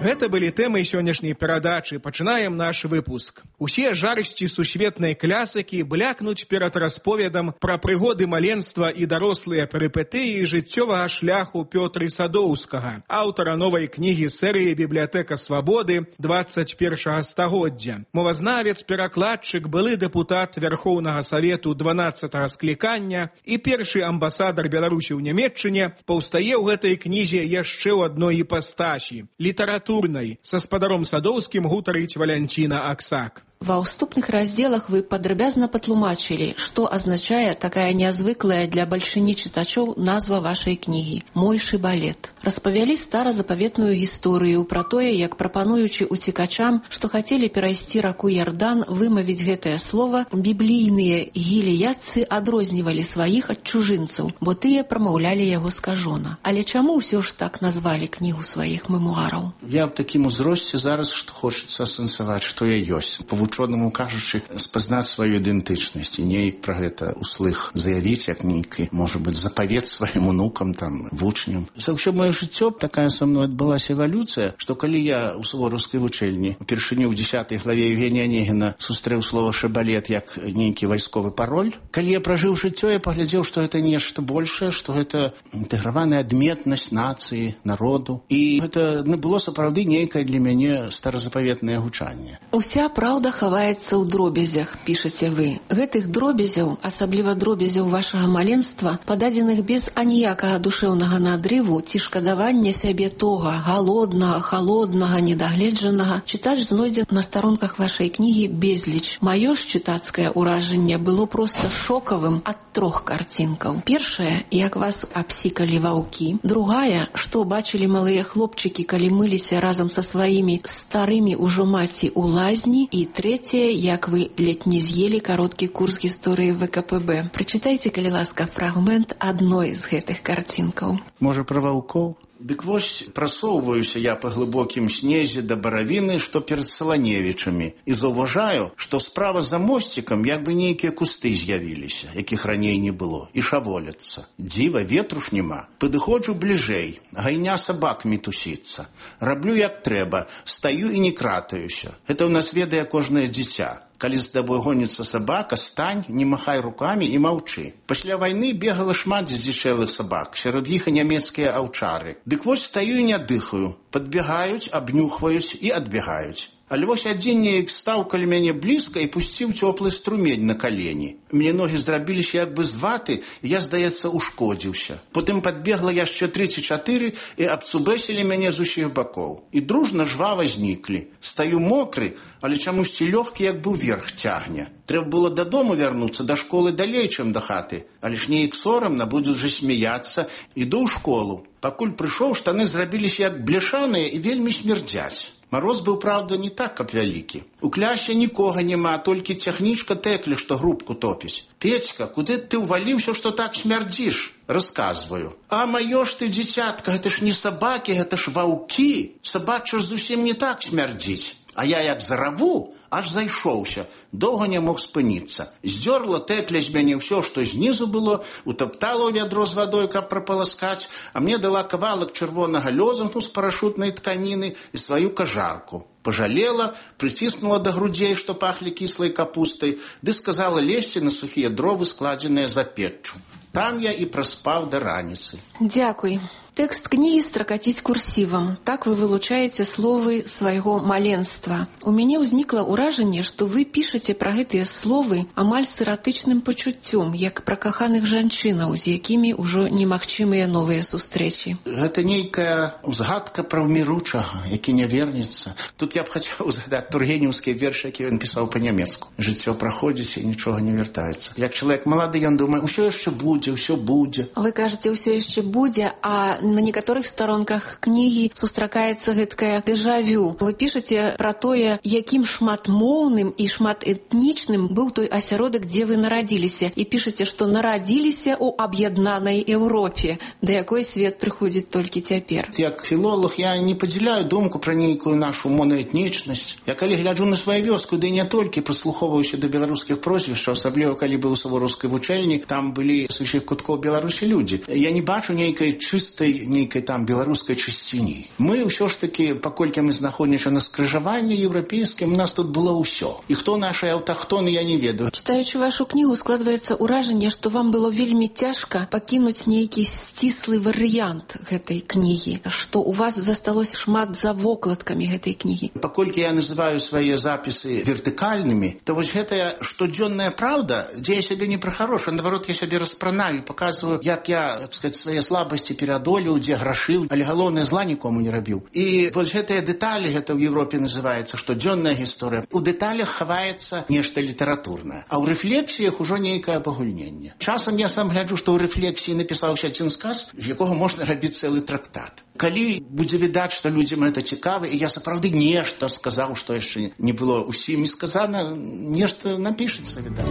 Гэта былі тэмы сённяшняй перадачы. Пачынаем наш выпуск. Усе жарсці сусветнай клясыкі блякнуць перад расповедам пра прыгоды маленства і дарослыя перыпетыі жыццёвага шляху Пётры Садоўскага, аўтара новай кнігі серыі «Бібліятэка свабоды двадцать першага стагоддзя». Мовазнавец, перакладчык, былы дэпутат Верхоўнага Савету дванаццатага склікання і першы амбасадар Беларусі ў Нямецчыне паўстае ў гэтай кнізе яшчэ ў адной іпастасі – літаратурнай. Са спадаром Садоўскім гутарыць Валянціна Аксак. Ва ўступных раздзелах вы падрабязна патлумачылі, што азначае такая нязвыклая для бальшыні чытачоў назва вашай кнігі «Мой шыбалет». Распавялі старазапаветную гісторыю пра тое, як прапануючы уцекачам, што хацелі перайсці раку Ярдан, вымавіць гэтае слова, біблійныя гілеядцы адрознівалі сваіх ад чужынцаў, бо тыя прамаўлялі яго скажона. Але чаму ўсё ж так назвалі кнігу сваіх мемуараў? Я в такім узросце зараз, што хочацца асэнсаваць, што я ёсць. Вучонаму кажучы, спазнаць сваю ідэнтычнасць і неяк пра гэта услых заявіць, як нейкі, можа быць, запавет сваім унукам, там, вучням. За ўсё маё жыццё такая са мной адбылася эвалюцыя, што калі я ў сувораўскай вучэльні упершыню ў дзесятай главе Евгения Онегіна сустрэў слова «шыбалет» як нейкі вайсковы пароль, калі я пражыў жыццё, я паглядзеў, што гэта нешта большае, што гэта інтэграваная адметнасць нацыі, народу. І гэта не было сапраўды нейкае для мяне старазапаветнае гучанне. Уся праўда хаваецца ў дробязях, пішаце вы. Гэтых дробязяў, асабліва дробязяў вашага маленства, пададзеных без аніякага душэўнага надрыву ці шкадавання сябе тога, галоднага, халоднага, недагледжанага, чытач знойдзе на старонках вашай кнігі безліч. Маё ж чытацкае ўражанне было проста шокавым ад трох карцінкаў. Першая, як вас абсікалі ваўкі. Другая, што бачылі малыя хлопчыкі, калі мыліся разам са сваімі старымі ўжо маці ў лазні. І трэцяе, як вы ледь не з'елі кароткі курс гісторыі вэ ка пэ бэ. Прачытайце, калі ласка, фрагмент адной з гэтых карцінкаў. Можа, пра ваўкоў? Дык вось прасоўваюся я па глыбокім снезе да баравіны, што перад Саланевічамі, і заўважаю, што справа за мосцікам як бы нейкія кусты з'явіліся, якіх раней не было, і шаволяцца. Дзіва, ветру ж няма. Падыходжу бліжэй, гайня сабак мітусіцца. Раблю як трэба, стаю і не кратаюся. Гэта ў нас ведае кожнае дзіця. Калі з табой гоніцца сабака, стань, не махай рукамі і маўчы. Пасля вайны бегала шмат здзічэлых сабак, сярод іх і нямецкія аўчары. Дык вось стаю і не дыхаю. Падбегаюць, абнюхваюць і адбегаюць. Але вось адзін неяк стаў каля мяне блізка і пусціў цёплы струмень на калені. Мне ногі зрабіліся як бы з ваты, і я, здаецца, ушкодзіўся. Потым падбегла яшчэ тры ці чатыры і абцубэсілі мяне з усіх бакоў. І дружна жвава зніклі. Стаю мокры, але чамусьці лёгкі як бы ўверх цягне. Трэба было дадому вярнуцца, да школы далей, чым да хаты. Але ж неяк сорамна, будуць жа смяяцца. Іду ў школу. Пакуль прыйшоў, штаны зрабіліся як бляшаныя і вельмі смердзяць. Мароз быў, правда, не так, каб вялікі. У клясе нікога няма, толькі цягнічка тэклі, што грубку топіць. Петька, куды ты ўваліўся, што так смярдзіш? Расказваю. А маё ж ты, дзіцятка, гэта ж не сабакі, гэта ж ваўкі. Сабача ж зусім не так смярдзіць. А я як зараву, аж зайшоўся. Доўга не мог спыніцца. Здёрла тэкля з мяне ўсё, што знізу было, утаптала ў вядро з вадой, каб прапаласкаць, а мне дала кавалак чырвонага лёзунку з парашутнай тканіны і сваю кажарку. Пажалела, прыціснула да грудзей, што пахлі кіслай капустай, ды сказала лезці на сухія дровы, складзеныя за печчу. Там я і праспаў да раніцы. Дзякуй. Тэкст кнігі стракаціць курсівам. Так вы вылучаеце словы свайго маленства. У мяне ўзнікла ўражанне, што вы пішаце пра гэтыя словы амаль з эратычным пачуццём, як пра каханых жанчынаў, з якімі ўжо немагчымыя новыя сустрэчы. Гэта нейкая узгадка пра ўміручага, які не вернецца. Тут я б хацеў узгадаць тургенеўскі верш, які ён пісаў па-нямецку. Жыццё праходзіць і нічога не вяртаецца. Як чалавек малады, ён думае, усё яшчэ будзе, ўсё будзе. Вы кажаце, ўсё яшчэ будзе, а на некаторых старонках кнігі сустракаецца гэткае дэжавю. Вы пішаце пра тое, якім шматмоўным і шматэтнічным быў той асяродак, дзе вы нарадзіліся. І пішаце, што нарадзіліся ў аб'яднанай Еўропе, да якой свет прыходзіць толькі цяпер. Як філолог я не падзяляю думку пра нейкую нашу моноэтнічнасць. Я калі гляджу на сваю вёску, ды не толькі прыслухоўваюся да беларускіх прозвішчаў, асабліва калі быў у Савораўскай вучэльні, там былі з усіх куткоў Беларусі людзі. Я не бачу нейкай чыстай, нейкай там беларускай чысціні. Мы ўсё ж такі, паколькі мы знаходзімся на скрыжаванні еўрапейскім, у нас тут было ўсё. І хто нашыя аўтахтоны, я не ведаю. Чытаючы вашу кнігу, складваецца ўражанне, што вам было вельмі цяжка пакінуць нейкі сціслы варыянт гэтай кнігі, што у вас засталося шмат за вокладкамі гэтай кнігі. Паколькі я называю свае запісы вертыкальнымі, то вось гэтая штодзённая праўда, дзе я сябе не пра хорошую, наадварот, я сябе распранаю, паказваю, як я, так сказать, свае слабасці пераадолеў, дзе грашыў, але галоўнае зла нікому не рабіў. І вось гэтыя дэталі, гэта ў Еўропе называецца штодзённая гісторыя. У дэталях хаваецца нешта літаратурнае, а ў рэфлексіях ужо нейкае пагульненне. Часам я сам гляджу, што ў рэфлексіі напісаўся адзін сказ, з якога можна рабіць цэлы трактат. Калі будзе відаць, што людзям гэта цікава, і я сапраўды нешта сказаў, што яшчэ не было ўсім не сказана, нешта напішацца, відаць.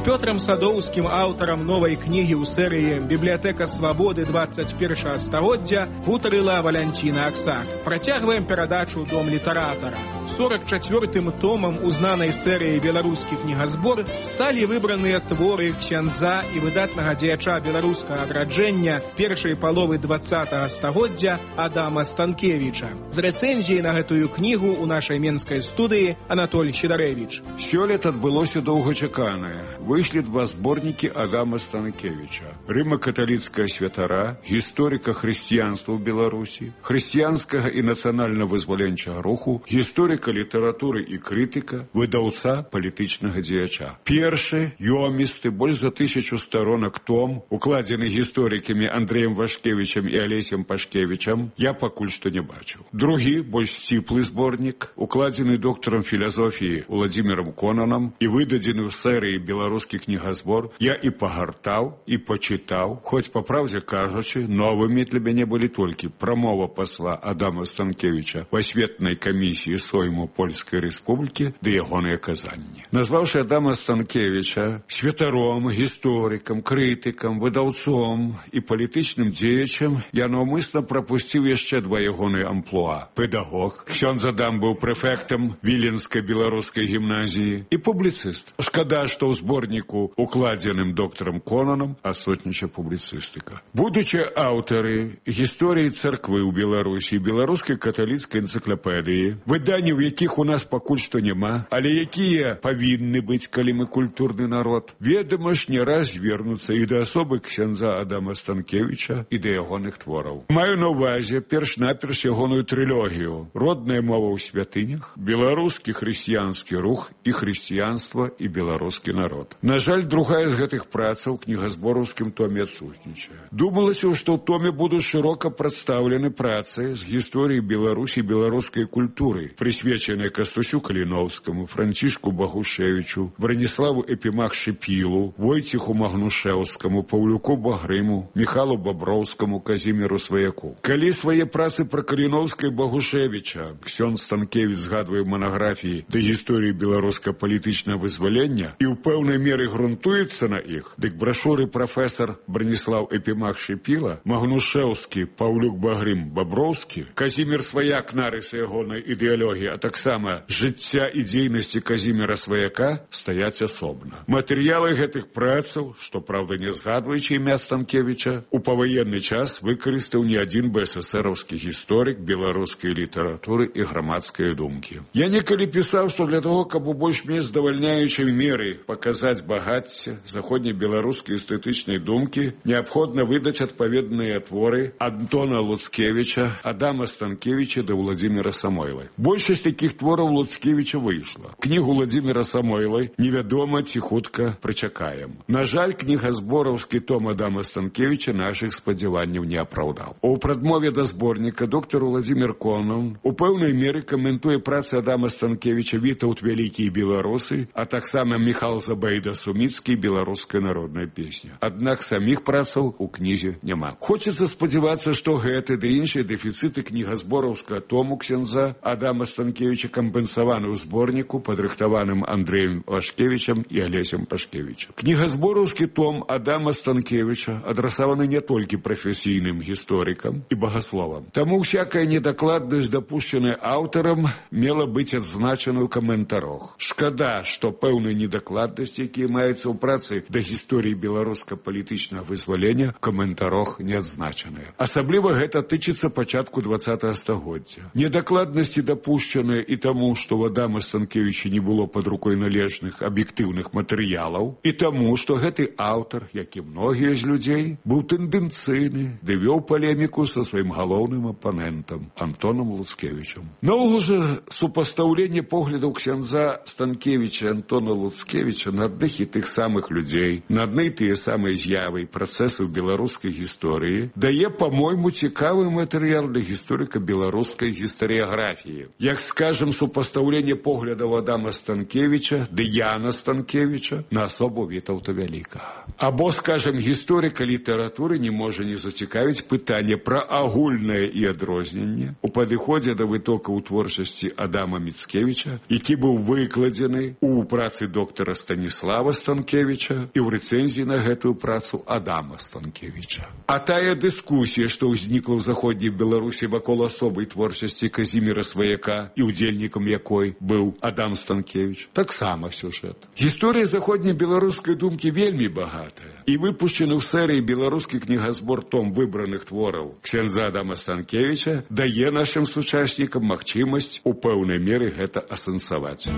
Пётрам Садоўскім, аўтарам новай кнігі ў серыі «Бібліятэка свабоды двадцать першага стагоддзя» гутарыла Валянціна Аксак. Працягваем перадачу «Дом літаратара». сорок чацвёртым томам узнанай серыі «Беларускі кнігазбор» сталі выбраныя творы ксяндза і выдатнага дзеяча беларускага адраджэння першай паловы двадцатага стагоддзя Адама Станкевіча. З рэцэнзіяй на гэтую кнігу ў нашай менскай студыі Анатоль Сідарэвіч. Сёлета адбылося доўгачаканае. Выйшлі два зборнікі Адама Станкевіча. Рыма-каталіцкая святара, гісторыка хрысціянства ў Беларусі, хрысціянскага і нацыянальна-вызваленчага руху, гісторыка літаратуры і крытыка, выдаўца палітычнага дзеяча. Першы, ёмісты, больш за тысячу сторонак том, укладзены гісторыкамі Андрэем Вашкевічам і Алесем Пашкевічам, я пакуль што не бачыў. Другі, больш сціплы зборнік, укладзены доктарам філасофіі Уладзімірам Конанам і выдадзены ў серыі «Беларускі кнігазбор», я і пагартаў, і пачытаў, хоць, па праўдзе кажучы, новымі для мяне былі толькі прамова пасла Адама Станкевіча в асветнай камісіі Сойму Польскай Рэспублікі ды ягоныя казанні. Назваўшы Адама Станкевіча святаром, гісторыкам, крытыкам, выдаўцом і палітычным дзеячам, я наўмысна прапусціў яшчэ два ягоныя амплуа. Педагог, ксёндз Адам быў прэфектам Віленскай беларускай гімназіі і публіцыст. Шкада, што ў зборніку, укладзеным доктарам Конанам, асотніча публіцыстыка. Будучы аўтары гісторыі царквы ў Беларусі, беларускай каталіцкай энцыклапедыі, выданні, у якіх у нас пакуль што няма, але якія павінны быць, калі мы культурны народ, ведама ж, не раз звернуцца і да асобы ксяндза Адама Станкевіча, і да ягоных твораў. Маю на ўвазе перш-наперш ягоную трылогію «Родная мова ў святынях», «Беларускі хрысціянскі рух» і «Хрысціянства і беларускі народ». На жаль, другая з гэтых працаў у кнігазбораўскім томе адсутнічае. Думалася, што ў томе будуць шырока прадстаўлены працы з гісторыі Беларусі і беларускай культуры, прысвечаныя Кастусю Каліноўскаму, Францішку Багушевічу, Браніславу Эпімах-Шыпілу, Войціху Магнушэўскаму, Паўлюку Багрыму, Міхалу Баброўскаму, Казіміру Сваяку. Калі свае працы пра Каліноўска і Багушевіча ксёндз Станкевіч згадвае манаграфіі да гісторыі беларуска-палітычнага вызвалення і ў пэўнай меры грунтуецца на іх, дык брашуры прафесар Браніслаў Эпімах-Шыпіла, Магнушэўскі, Паўлюк Багрым, Баброўскі, Казімір Сваяк, нарысы ягонай ідэалогіі а таксама жыцця і дзейнасці Казіміра Сваяка стаяць асобна. Матэрыялы гэтых працаў, што, праўда, не згадваючы імя Станкевіча, у паваенны час выкарыстаў не адзін бэсэсэраўскі гісторык беларускай літаратуры і грамадскай думкі. Я некалі пісаў, што для того, каб у больш-менш здавальняючай меры паказаць багацце заходнебеларускай эстэтычнай думкі, неабходна выдаць адпаведныя творы Антона Луцкевіча, Адама Станкевіча да Владзіміра Самойлай. Большасць такіх твораў Луцкевіча выйшла. Кнігу Владзіміра Самойлай невядома ці хутка прычакаем. На жаль, кнігазбораўскі том Адама Станкевіча нашых спадзяванняў не апраўдаў. У прадмове да зборніка доктар Владзімір Конан у пэўнай меры каментуе працы Адама Станкевіча «Вітаўт вялікі і беларусы», а таксама Міхал Забайда Суміцкі «Беларуская народная песня». Аднак саміх працаў у кнізе няма. Хочацца спадзявацца, што гэты ды іншыя дэфіцыты кнігазбораўскага тому ксяндза Адама Станкевіча кампенсаваны ў зборніку, падрыхтаваным Андрэем Вашкевічам і Алесем Пашкевічам. Кнігазбораўскі том Адама Станкевіча адрасаваны не толькі прафесійным гісторыкам і багасловам. Таму всякая недакладнасць, дапушчаная аўтарам, мела быць адзначана ў каментарах. Шкада, што пэўныя недакладнасці, якія маюцца ў працы да гісторыі беларуска-палітычнага вызвалення, в каментарах не адзначаныя. Асабліва гэта тычыцца пачатку двадцатага стагоддзя. Недакладнасці дапушчаныя і таму, што у Адама Станкевіча не было пад рукой належных аб'ектыўных матэрыялаў, і таму, што гэты аўтар, як і многія з людзей, быў тэндэнцыйны, ды вёў палеміку са сваім галоўным апанентам Антонам Луцкевічам. Наогул жа супастаўленне поглядаў ксяндза Станкевіча і Антона Луцкевіча на адных і тых самых людзей, на адны і тыя самыя з'явы і працэсы ў беларускай гісторыі дае, па-мойму, цікавы матэрыял для гісторыка беларускай гістарыяграфіі. Як, скажем, супастаўленне поглядаў Адама Станкевіча ды Яна Станкевіча на асобу Вітаўта Вялікага. Або, скажем, гісторыка літаратуры не можа не зацікавіць пытанне пра агульнае і адрозненне у падыходзе да вытокаў творчасці Адама Міцкевіча, які быў выкладзены у працы доктара Станіслава Станкевіча і ў рэцэнзіі на гэтую працу Адама Станкевіча. А тая дыскусія, што ўзнікла ў заходняй Беларусі вакол асобай творчасці Казіміра Сваяка і удзельнікам якой быў Адам Станкевіч, таксама сюжэт. Гісторыя заходняй беларускай думкі вельмі багатая, і выпушчены ў серыі беларускі кнігазбор том выбраных твораў ксяндза Адама Станкевіча дае нашым сучаснікам магчымасць у пэўнай меры гэта асэнсаваць.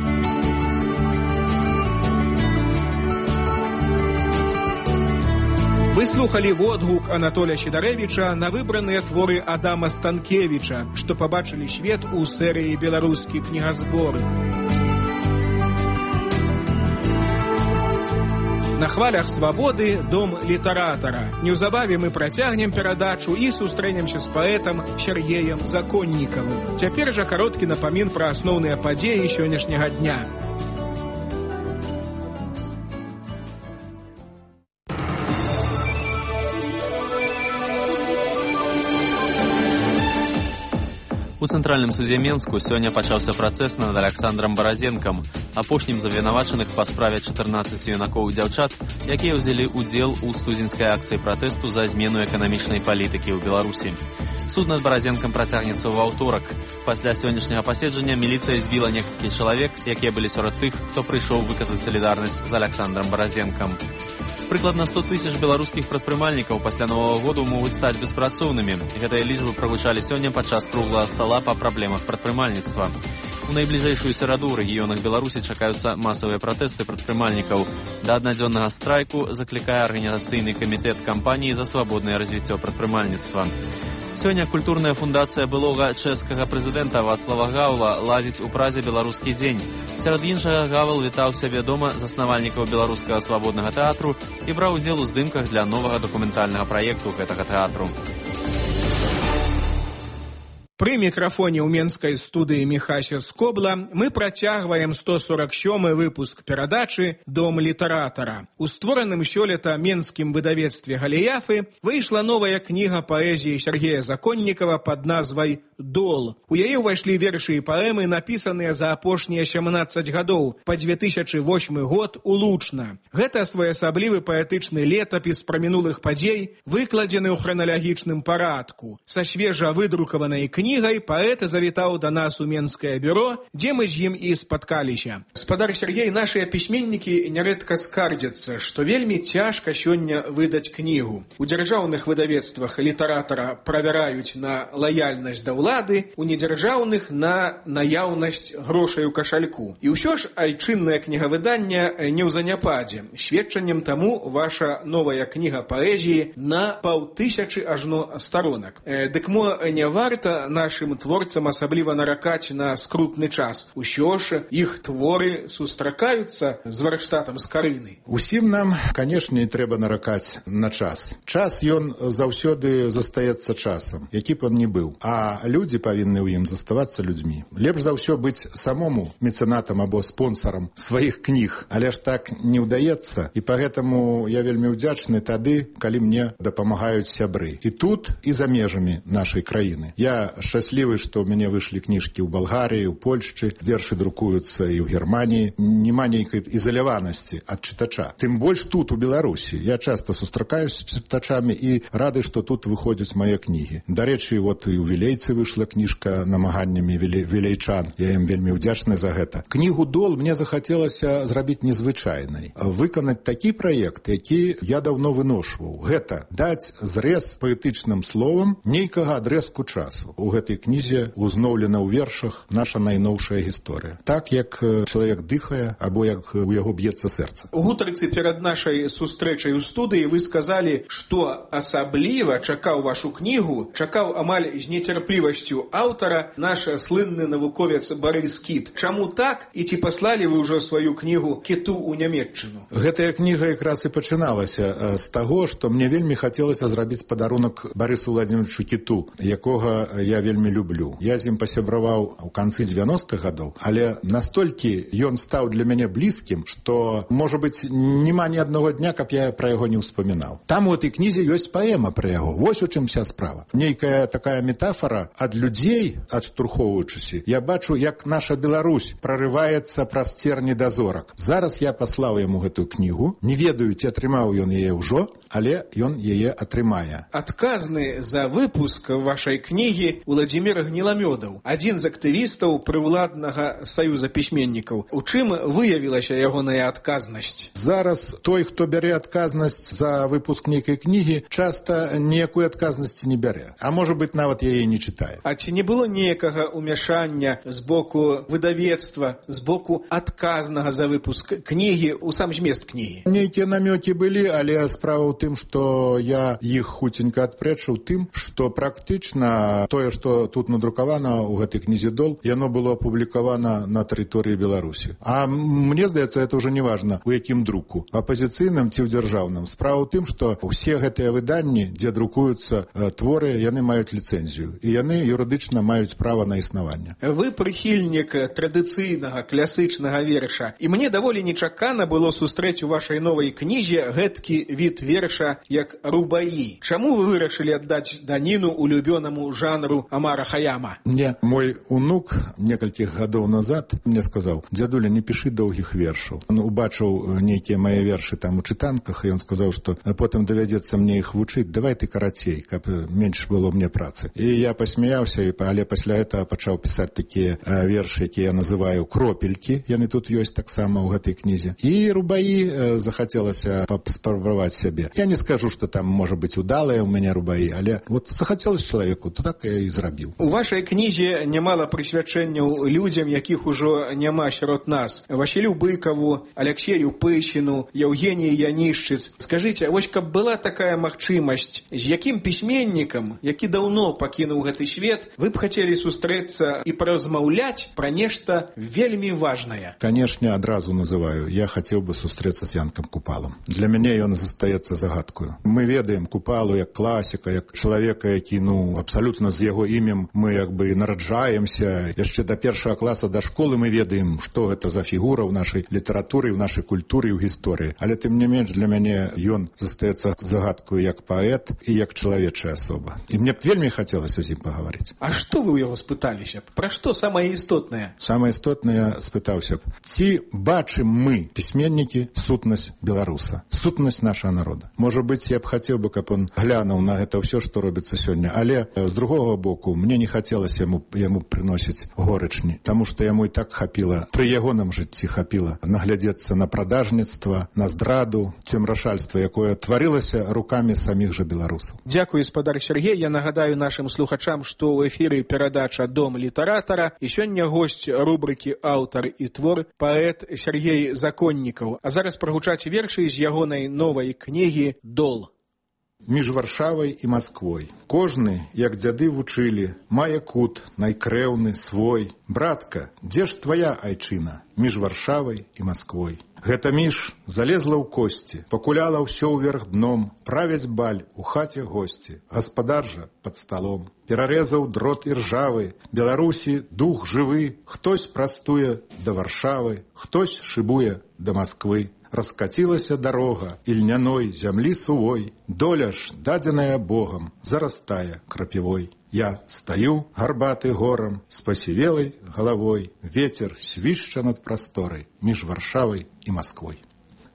Вы слухали водгук Анатоля Сідарэвіча на выбраныя творы Адама Станкевіча, што пабачылі свет у серыі «Беларускі кнігазбор». На хвалях свабоды дом літаратара. Неўзабаве мы працягнем перадачу і сустрэнемся з паэтам Сергеем Законнікавым. Цяпер жа кароткі напамін пра асноўныя падзеі сённяшняга дня. У цэнтральным судзе Менску сёння пачаўся працэс над Аляксандрам Баразенкам, апошнім з абвінавачаных па справе чатырнаццаці юнакоў і дзяўчат, якія ўзялі ўдзел у студзеньскай акцыі пратэсту за змену эканамічнай палітыкі ў Беларусі. Суд над Баразенкам працягнецца ў аўторак. Пасля сённяшняга паседжання міліцыя збіла некалькі чалавек, якія былі сярод тых, хто прыйшоў выказаць салідарнасць з Аляксандрам Баразенкам. Прыкладна сто тысяч беларускіх прадпрымальнікаў пасля Новага году могуць стаць беспрацоўнымі. Гэтыя лічбы прагучалі сёння падчас круглага стала па праблемах прадпрымальніцтва. У найбліжэйшую сераду ў рэгіёнах Беларусі чакаюцца масавыя пратэсты прадпрымальнікаў. Да аднадзённага страйку заклікае арганізацыйны камітэт кампаніі за свабоднае развіццё прадпрымальніцтва. Сёння культурная фундацыя былога чэшскага прэзідэнта Вацлава Гаўла ладзіць у Празе беларускі дзень. Сярод іншага Гавал вітаў сябе дома заснавальнікаў беларускага свабоднага тэатру і браў удзел у здымках для новага дакументальнага праекту гэтага тэатру. Пры мікрафоне ў менскай студыі Міхася Скобла мы працягваем сто сорок сёмы выпуск перадачы «Дом літаратара». У створаным сёлета менскім выдавецтве «Галіяфы» выйшла новая кніга паэзіі Сергея Законнікава пад назвай «Дол». У яе ўвайшлі вершы і паэмы, напісаныя за апошнія сямнаццаць гадоў, па дзве тысячы восьмы год улучна. Гэта своеасаблівы паэтычны летапіс пра мінулых падзей, выкладзены ў храналагічным парадку. Са свежа выдрукаванай кнігі кнігай паэт завітаў да нас у Менскае бюро, дзе мы з ім і спаткаліся. Спадар Сергей, нашыя пісьменнікі нярэдка скардзяцца, што вельмі цяжка сёння выдаць кнігу. У дзяржаўных выдавецтвах літаратара правяраюць на лаяльнасць да ўлады, у недзяржаўных на наяўнасць грошай у кашальку. І ўсё ж айчыннае кнігавыданне не ў заняпадзе. Сведчаннем таму ваша новая кніга паэзіі на паўтысячы ажно сторонак. Дык мо не варта нашым творцам асабліва наракаць на скрутны час. Усё ж іх творы сустракаюцца з варштатам скарыны. Усім нам, канешне, трэба наракаць на час. Час ён заўсёды застаецца часам, які б он не быў. А людзі павінны ў ім заставацца людзьмі. Лепш за ўсё быць самому мецэнатам або спонсарам сваіх кніг, але ж так не ўдаецца. І пагэтаму я вельмі ўдзячны тады, калі мне дапамагаюць сябры. І тут, і за межамі нашай краіны. Я шчаслівы, што ў мяне выйшлі кніжкі ў Балгарыі, у Польшчы, вершы друкуюцца і ў Германіі. Няма нейкай ізаляванасці ад чытача. Тым больш тут, у Беларусі. Я часта сустракаюсь з чытачамі і рады, што тут выходзяць мае кнігі. Дарэчы, вот і ў Вілейцы выйшла кніжка намаганнямі вілейчан. Я ім вельмі ўдзячны за гэта. Кнігу «Дол» мне захацелася зрабіць незвычайнай. Выканаць такі праект, які я даўно выношваў. Гэта даць зрэз паэтычным словам нейкага адрэзку часу. У гэтай кнізе узноўлена ў вершах наша найноўшая гісторыя. Так, як чалавек дыхае, або як у яго б'ецца сэрца. У гутарцы перад нашай сустрэчай у студыі вы сказалі, што асабліва чакаў вашу кнігу, чакаў амаль з нецярплівасцю аўтара наш слынны навуковец Барыс Кіт. Чаму так? І ці паслалі вы ўжо сваю кнігу Кіту ў Нямецчыну? Гэтая кніга якраз і пачыналася з таго, што мне вельмі хацелася зрабіць падарунак Барысу Владимировичу Кіту, якога я вельмі люблю. Я з ім пасябраваў у канцы дзевяностых гадоў, але настолькі ён стаў для мяне блізкім, што, можа быць, няма ні аднаго дня, каб я пра яго не ўспамінаў. Там у этой кнізе ёсць паэма пра яго. Вось у чым вся справа. Нейкая такая метафора ад людзей, адштурхоўваючыся. Я бачу, як наша Беларусь прарываецца праз церні да зорак. Зараз я паслаў яму гэтую кнігу. Не ведаю, ці атрымаў ён яе ўжо, але ён яе атрымае. Адказны за выпуск вашай кнігі Владзімір Гніламёдаў, адзін з актывістаў прыўладнага саюза пісьменнікаў. У чым выявілася ягоная адказнасць? Зараз той, хто бярэ адказнасць за выпуск нейкай кнігі, часта ніякой адказнасці не бярэ. А можа быць, нават яе не чытае. А ці не было ніякага ўмяшання з боку выдавецтва, з боку адказнага за выпуск кнігі ў сам змест кнігі? Нейкія намёкі былі, але справа ў тым, што я іх хуценька адпрэчыў тым, што практычна тое, што тут надрукавана ў гэтай кнізе «Дол», яно было апублікавана на тэрыторыі Беларусі. А мне здаецца, это ўжо не важна, у якім друку, апазіцыйным ці ў дзяржаўным. Справа ў тым, што ўсе гэтыя выданні, дзе друкуюцца творы, яны маюць ліцэнзію, і яны юрыдычна маюць права на існаванне. Вы прыхільнік традыцыйнага класычнага верша, і мне даволі нечакана было сустрэць у вашай новай кнізе гэткі від верша як рубаі. Чаму вы вырашылі аддаць даніну улюбёнаму жанру Амара Хаяма? Не, мой унук некалькіх гадоў назад мне сказаў: «Дзядуля, не пішы доўгіх вершаў». Он убачыў нейкія мае вершы там у чытанках, і ён сказаў, што потым давядзецца мне іх вучыць, давай ты карацей, каб менш было мне працы. І я пасмяяўся, але пасля гэтага пачаў пісаць такія вершы, якія я называю кропелькі, яны тут ёсць таксама ў гэтай кнізе. І рубаі захацелася спрабаваць сябе. Я не скажу, што там можа быць удалыя ў мяне рубаі, але вот захацелася чалавеку, то так я і зрабіў. У вашай кнізе нямала прысвячэнняў людзям, якіх ужо няма сярод нас. Васілю Быкаву, Аляксею Пыщину, Евгении Янішчыц. Скажыце, вось каб была такая магчымасць, з якім пісьменнікам, які даўно пакінуў гэты свет, вы б хацелі сустрэцца і паразмаўляць пра нешта вельмі важнае? Канешне, адразу называю. Я хацеў бы сустрэцца з Янкам Купалам. Для мяне ён застаецца загадкаю. Мы ведаем Купалу як класіка, як чалавека, які, ну, абсалютна з яго імем мы як бы нараджаемся. Яшчэ да першага класа да школы мы ведаем, што гэта за фігура ў нашай літаратуры, ў нашай культуры і ў гісторыі. Але тым не менш для мяне ён застаецца загадкаю як паэт і як чалавечая асоба. І мне б вельмі хацелася з ім пагаварыць. А што вы ў яго спыталіся б? Пра што самае істотнае? Самае істотнае спытаўся б: ці бачым мы, пісьменнікі, сутнасць беларуса, сутнасць нашага народа? Можа быць, я б хацеў бы, каб он глянуў на гэта ўсё, што робіцца сёння. Але з другога боку, мне не хацелася яму, яму прыносіць горычні, таму што яму і так хапіла, пры ягоным жыцці хапіла наглядзецца на прадажніцтва, на здраду, цемрашальства, якое тварылася рукамі саміх жа беларусаў. Дзякую, спадар Сергей. Я нагадаю нашым слухачам, што ў эфіры перадача «Дом літаратара» і сёння госць рубрыкі «Аўтар і твор» паэт Сергей Законнікаў. А зараз прагучаць вершы з ягонай новай кнігі «Дол». Між Варшавай і Масквой. Кожны, як дзяды вучылі, мае кут найкрэўны свой. Братка, дзе ж твая айчына? Між Варшавай і Масквой. Гэта між залезла ў косці, пакуляла ўсё ўверх дном, правяць баль у хаце госці, гаспадар жа пад сталом. Перарэзаў дрот іржавы, Беларусі дух жывы, хтось прастуе да Варшавы, хтось шыбуе да Масквы. Раскацілася дарога ільняной зямлі сувой, доля ж, дадзеная Богам, зарастае крапівой. Я стаю гарбаты горам, з пасівелай галавой, вецер свішча над прасторай між Варшавай і Масквой.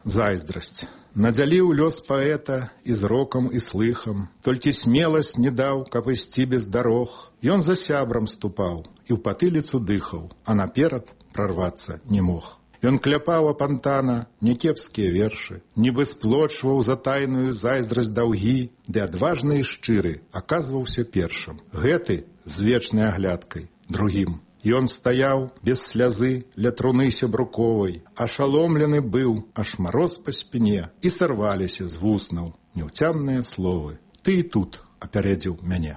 Зайздрасць. Надзяліў лёс паэта і зрокам і слыхам, толькі смеласць не даў, каб ісці без дарог. Ён за сябрам ступаў і ў патыліцу дыхаў, а наперад прарвацца не мог. Ён кляпаў апантана някепскія вершы, нібы сплочваў за тайную зайздрасць даўгі, ды адважны і шчыры аказваўся першым. Гэты з вечнай аглядкай другім. Ён стаяў без слязы ля труны сябруковай, ашаломлены быў, аж мароз па спіне, і сарваліся з вуснаў няўцямныя словы. Ты і тут апярэдзіў мяне.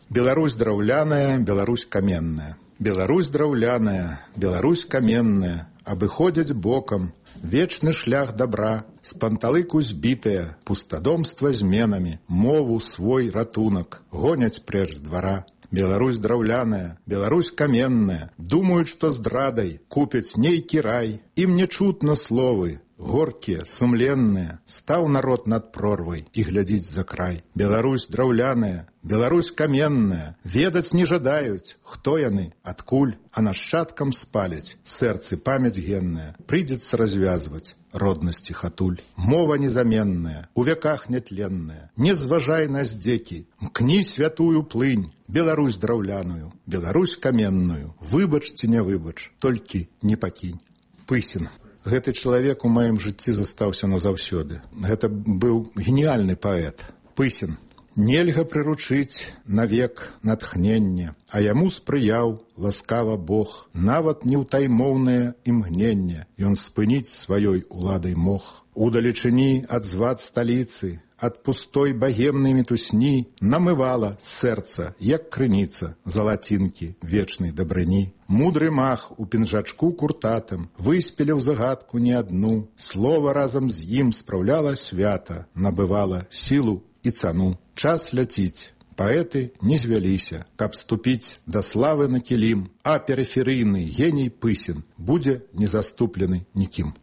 Беларусь драўляная, Беларусь каменная. Беларусь драўляная, Беларусь каменная, абыходзяць бокам вечны шлях добра, з панталыку збітыя, пустадомства зменамі, мову свой ратунак, гоняць прэч з двара. Беларусь драўляная, Беларусь каменная, думаюць, што здрадай купяць нейкі рай. Ім не чутно словы, горкія, сумленныя, стаў народ над прорвай і глядзіць за край. Беларусь драўляная, Беларусь каменная, ведаць не жадаюць, хто яны, адкуль, а нашчадкам спаляць, сэрцы памяць генная, прыйдзецца развязваць роднасці хатуль. Мова незаменная, у вяках нетленная, не зважай на здзекі, мкні святую плынь, Беларусь драўляную, Беларусь каменную, выбач ці не выбач, толькі не пакінь. Пысін. Гэты чалавек у маім жыцці застаўся назаўсёды. Гэта быў геніяльны паэт. Пысін. Нельга прыручыць навек натхнення, а яму спрыяў ласкава Бог. Нават неўтаймоўнае імгненне ён спыніць сваёй уладай мог. Удалечыні ад звад сталіцы, ад пустой багемнай мітусні намывала сэрца, як крыніца, залацінкі вечнай дабрыні. Мудры мах у пінжачку куртатым выспеліў загадку не адну. Слова разам з ім спраўляла свята, набывала сілу і цану. Час ляціць. Паэты не звяліся, каб ступіць да славы на кілім, а перыферыйны геній Пысін будзе не заступлены нікім.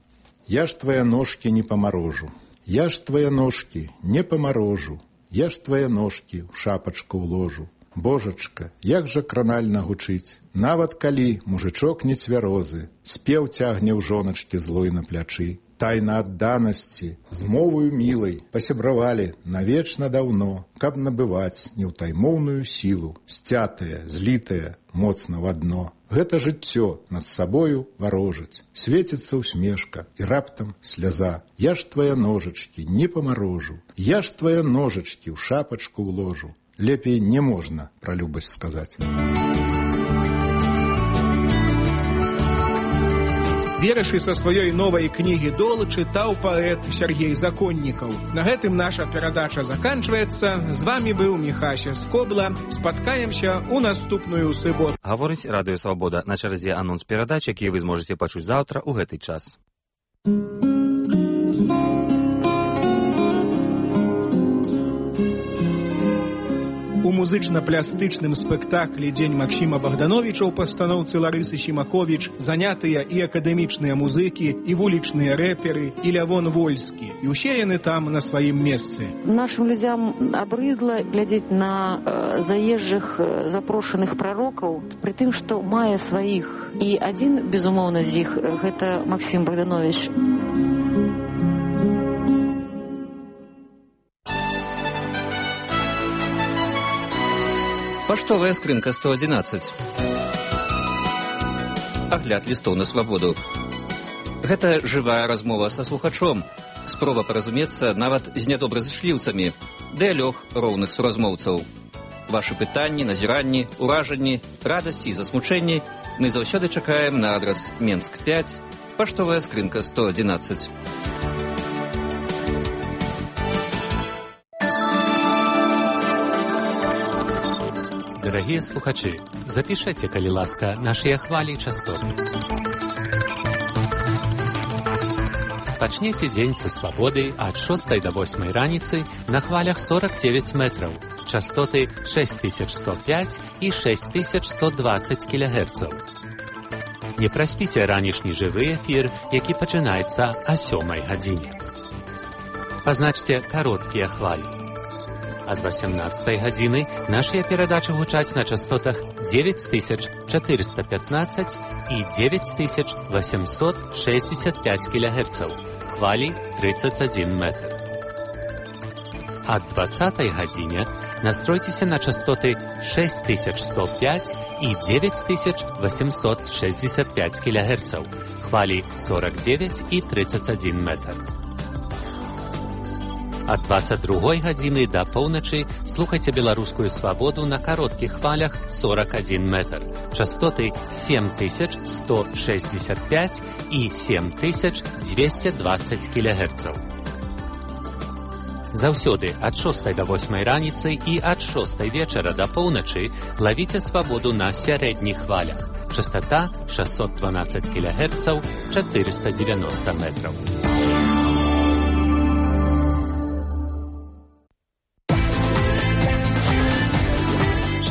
Я ж твае ножкі не памарожу. Я ж твае ножкі не памарожу, я ж твае ножкі ў шапачку ўложу. Божачка, як жа кранальна гучыць, нават калі мужычок не цвярозы, спеў цягне ў жоначкі злой на плячы. Тайна адданасці, з мовою мілай, пасябравалі навечна даўно, каб набываць неўтаймоўную сілу, сцятае, злітае, моцна в адно. Гэта жыццё над сабою варожыць, свеціцца усмешка і раптам сляза. Я ж твае ножачкі не памарожу, я ж твае ножачкі ў шапачку ўложу. Лепей не можна пра любасць сказаць. Вершы са сваёй новай кнігі «Дол» чытаў паэт Сергей Законнікаў. На гэтым наша перадача заканчваецца. З вамі быў Міхася Скобла. Спаткаемся ў наступную суботу. Гаворыць Радыё Свабода. На чарзе анонс перадач, які вы зможаце пачуць заўтра ў гэты час. У музычна-плястычным спектаклі «Дзень Максіма Богдановича» ў пастаноўцы Ларысы Сімаковіч занятыя і акадэмічныя музыкі, і вулічныя рэперы, і Лявон Вольскі. І ўсе яны там на сваім месцы. Нашим людям абрыдла глядзець на э, заезжых э, запрошаных прарокаў, пры тым, што мае сваіх. І адзін, безумоўна, з іх – гэта Максім Богданович. Паштовая скрынка сто адзінаццаць. Агляд лістоў на свабоду. Гэта жывая размова са слухачом. Спроба паразумецца нават з нядобразышліўцамі. Дыялог роўных суразмоўцаў. Вашы пытанні, назіранні, уражанні, радасці і засмучэнні мы заўсёды чакаем на адрас Менск пяць, паштовая скрынка сто адзінаццаць. Дарагія слухачы, запішайце, калі ласка, нашыя хвалі і частоты. Пачнеце дзень са свабоды ад шостай да восьмай раніцы на хвалях сорок девять метраў, частоты шесть тысяч сто пять і шесть тысяч сто двадцать кілогерцаў. Не праспіце ранішні жывы эфір, які пачынаецца о сёмай гадзіне. Пазначце кароткія хвалі. Ад восемнадцатай гадзіны нашыя перадачы гучаць на частотах девять тысяч четыреста пятнадцать і девять тысяч восемьсот шестьдесят пять кілогерцаў, хвалі тридцать один метр. Ад двадцатай гадзіне настройцеся на частоты шесть тысяч сто пять і девять тысяч восемьсот шестьдесят пять кілогерцаў, хвалі сорок девять і тридцать один метр. Ад двадцать другой гадзіны да поўначы слухайце беларускую свабоду на кароткіх хвалях сорок один метр, частоты семь тысяч сто шестьдесят пять і семь тысяч двести двадцать кілогерцаў. Заўсёды ад шостай да восьмай раніцы і ад шостай вечара да поўначы лавіце свабоду на сярэдніх хвалях. Частота шестьсот двенадцать кілогерцаў, четыреста девяносто метров.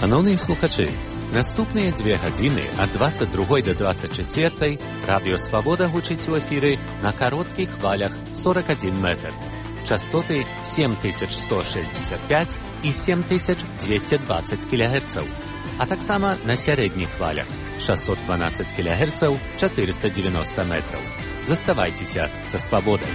Шановныя слухачы, наступныя дзве гадзіны ад двадцать другой да двадцать чацвёртай радыё Свабода гучыць у эфіры на кароткіх хвалях сорок один метр. Частоты семь тысяч сто шестьдесят пять і семь тысяч двести двадцать кілогерцаў, а таксама на сярэдніх хвалях шестьсот двенадцать кілогерцаў, четыреста девяносто метров. Заставайцеся са Свабодай.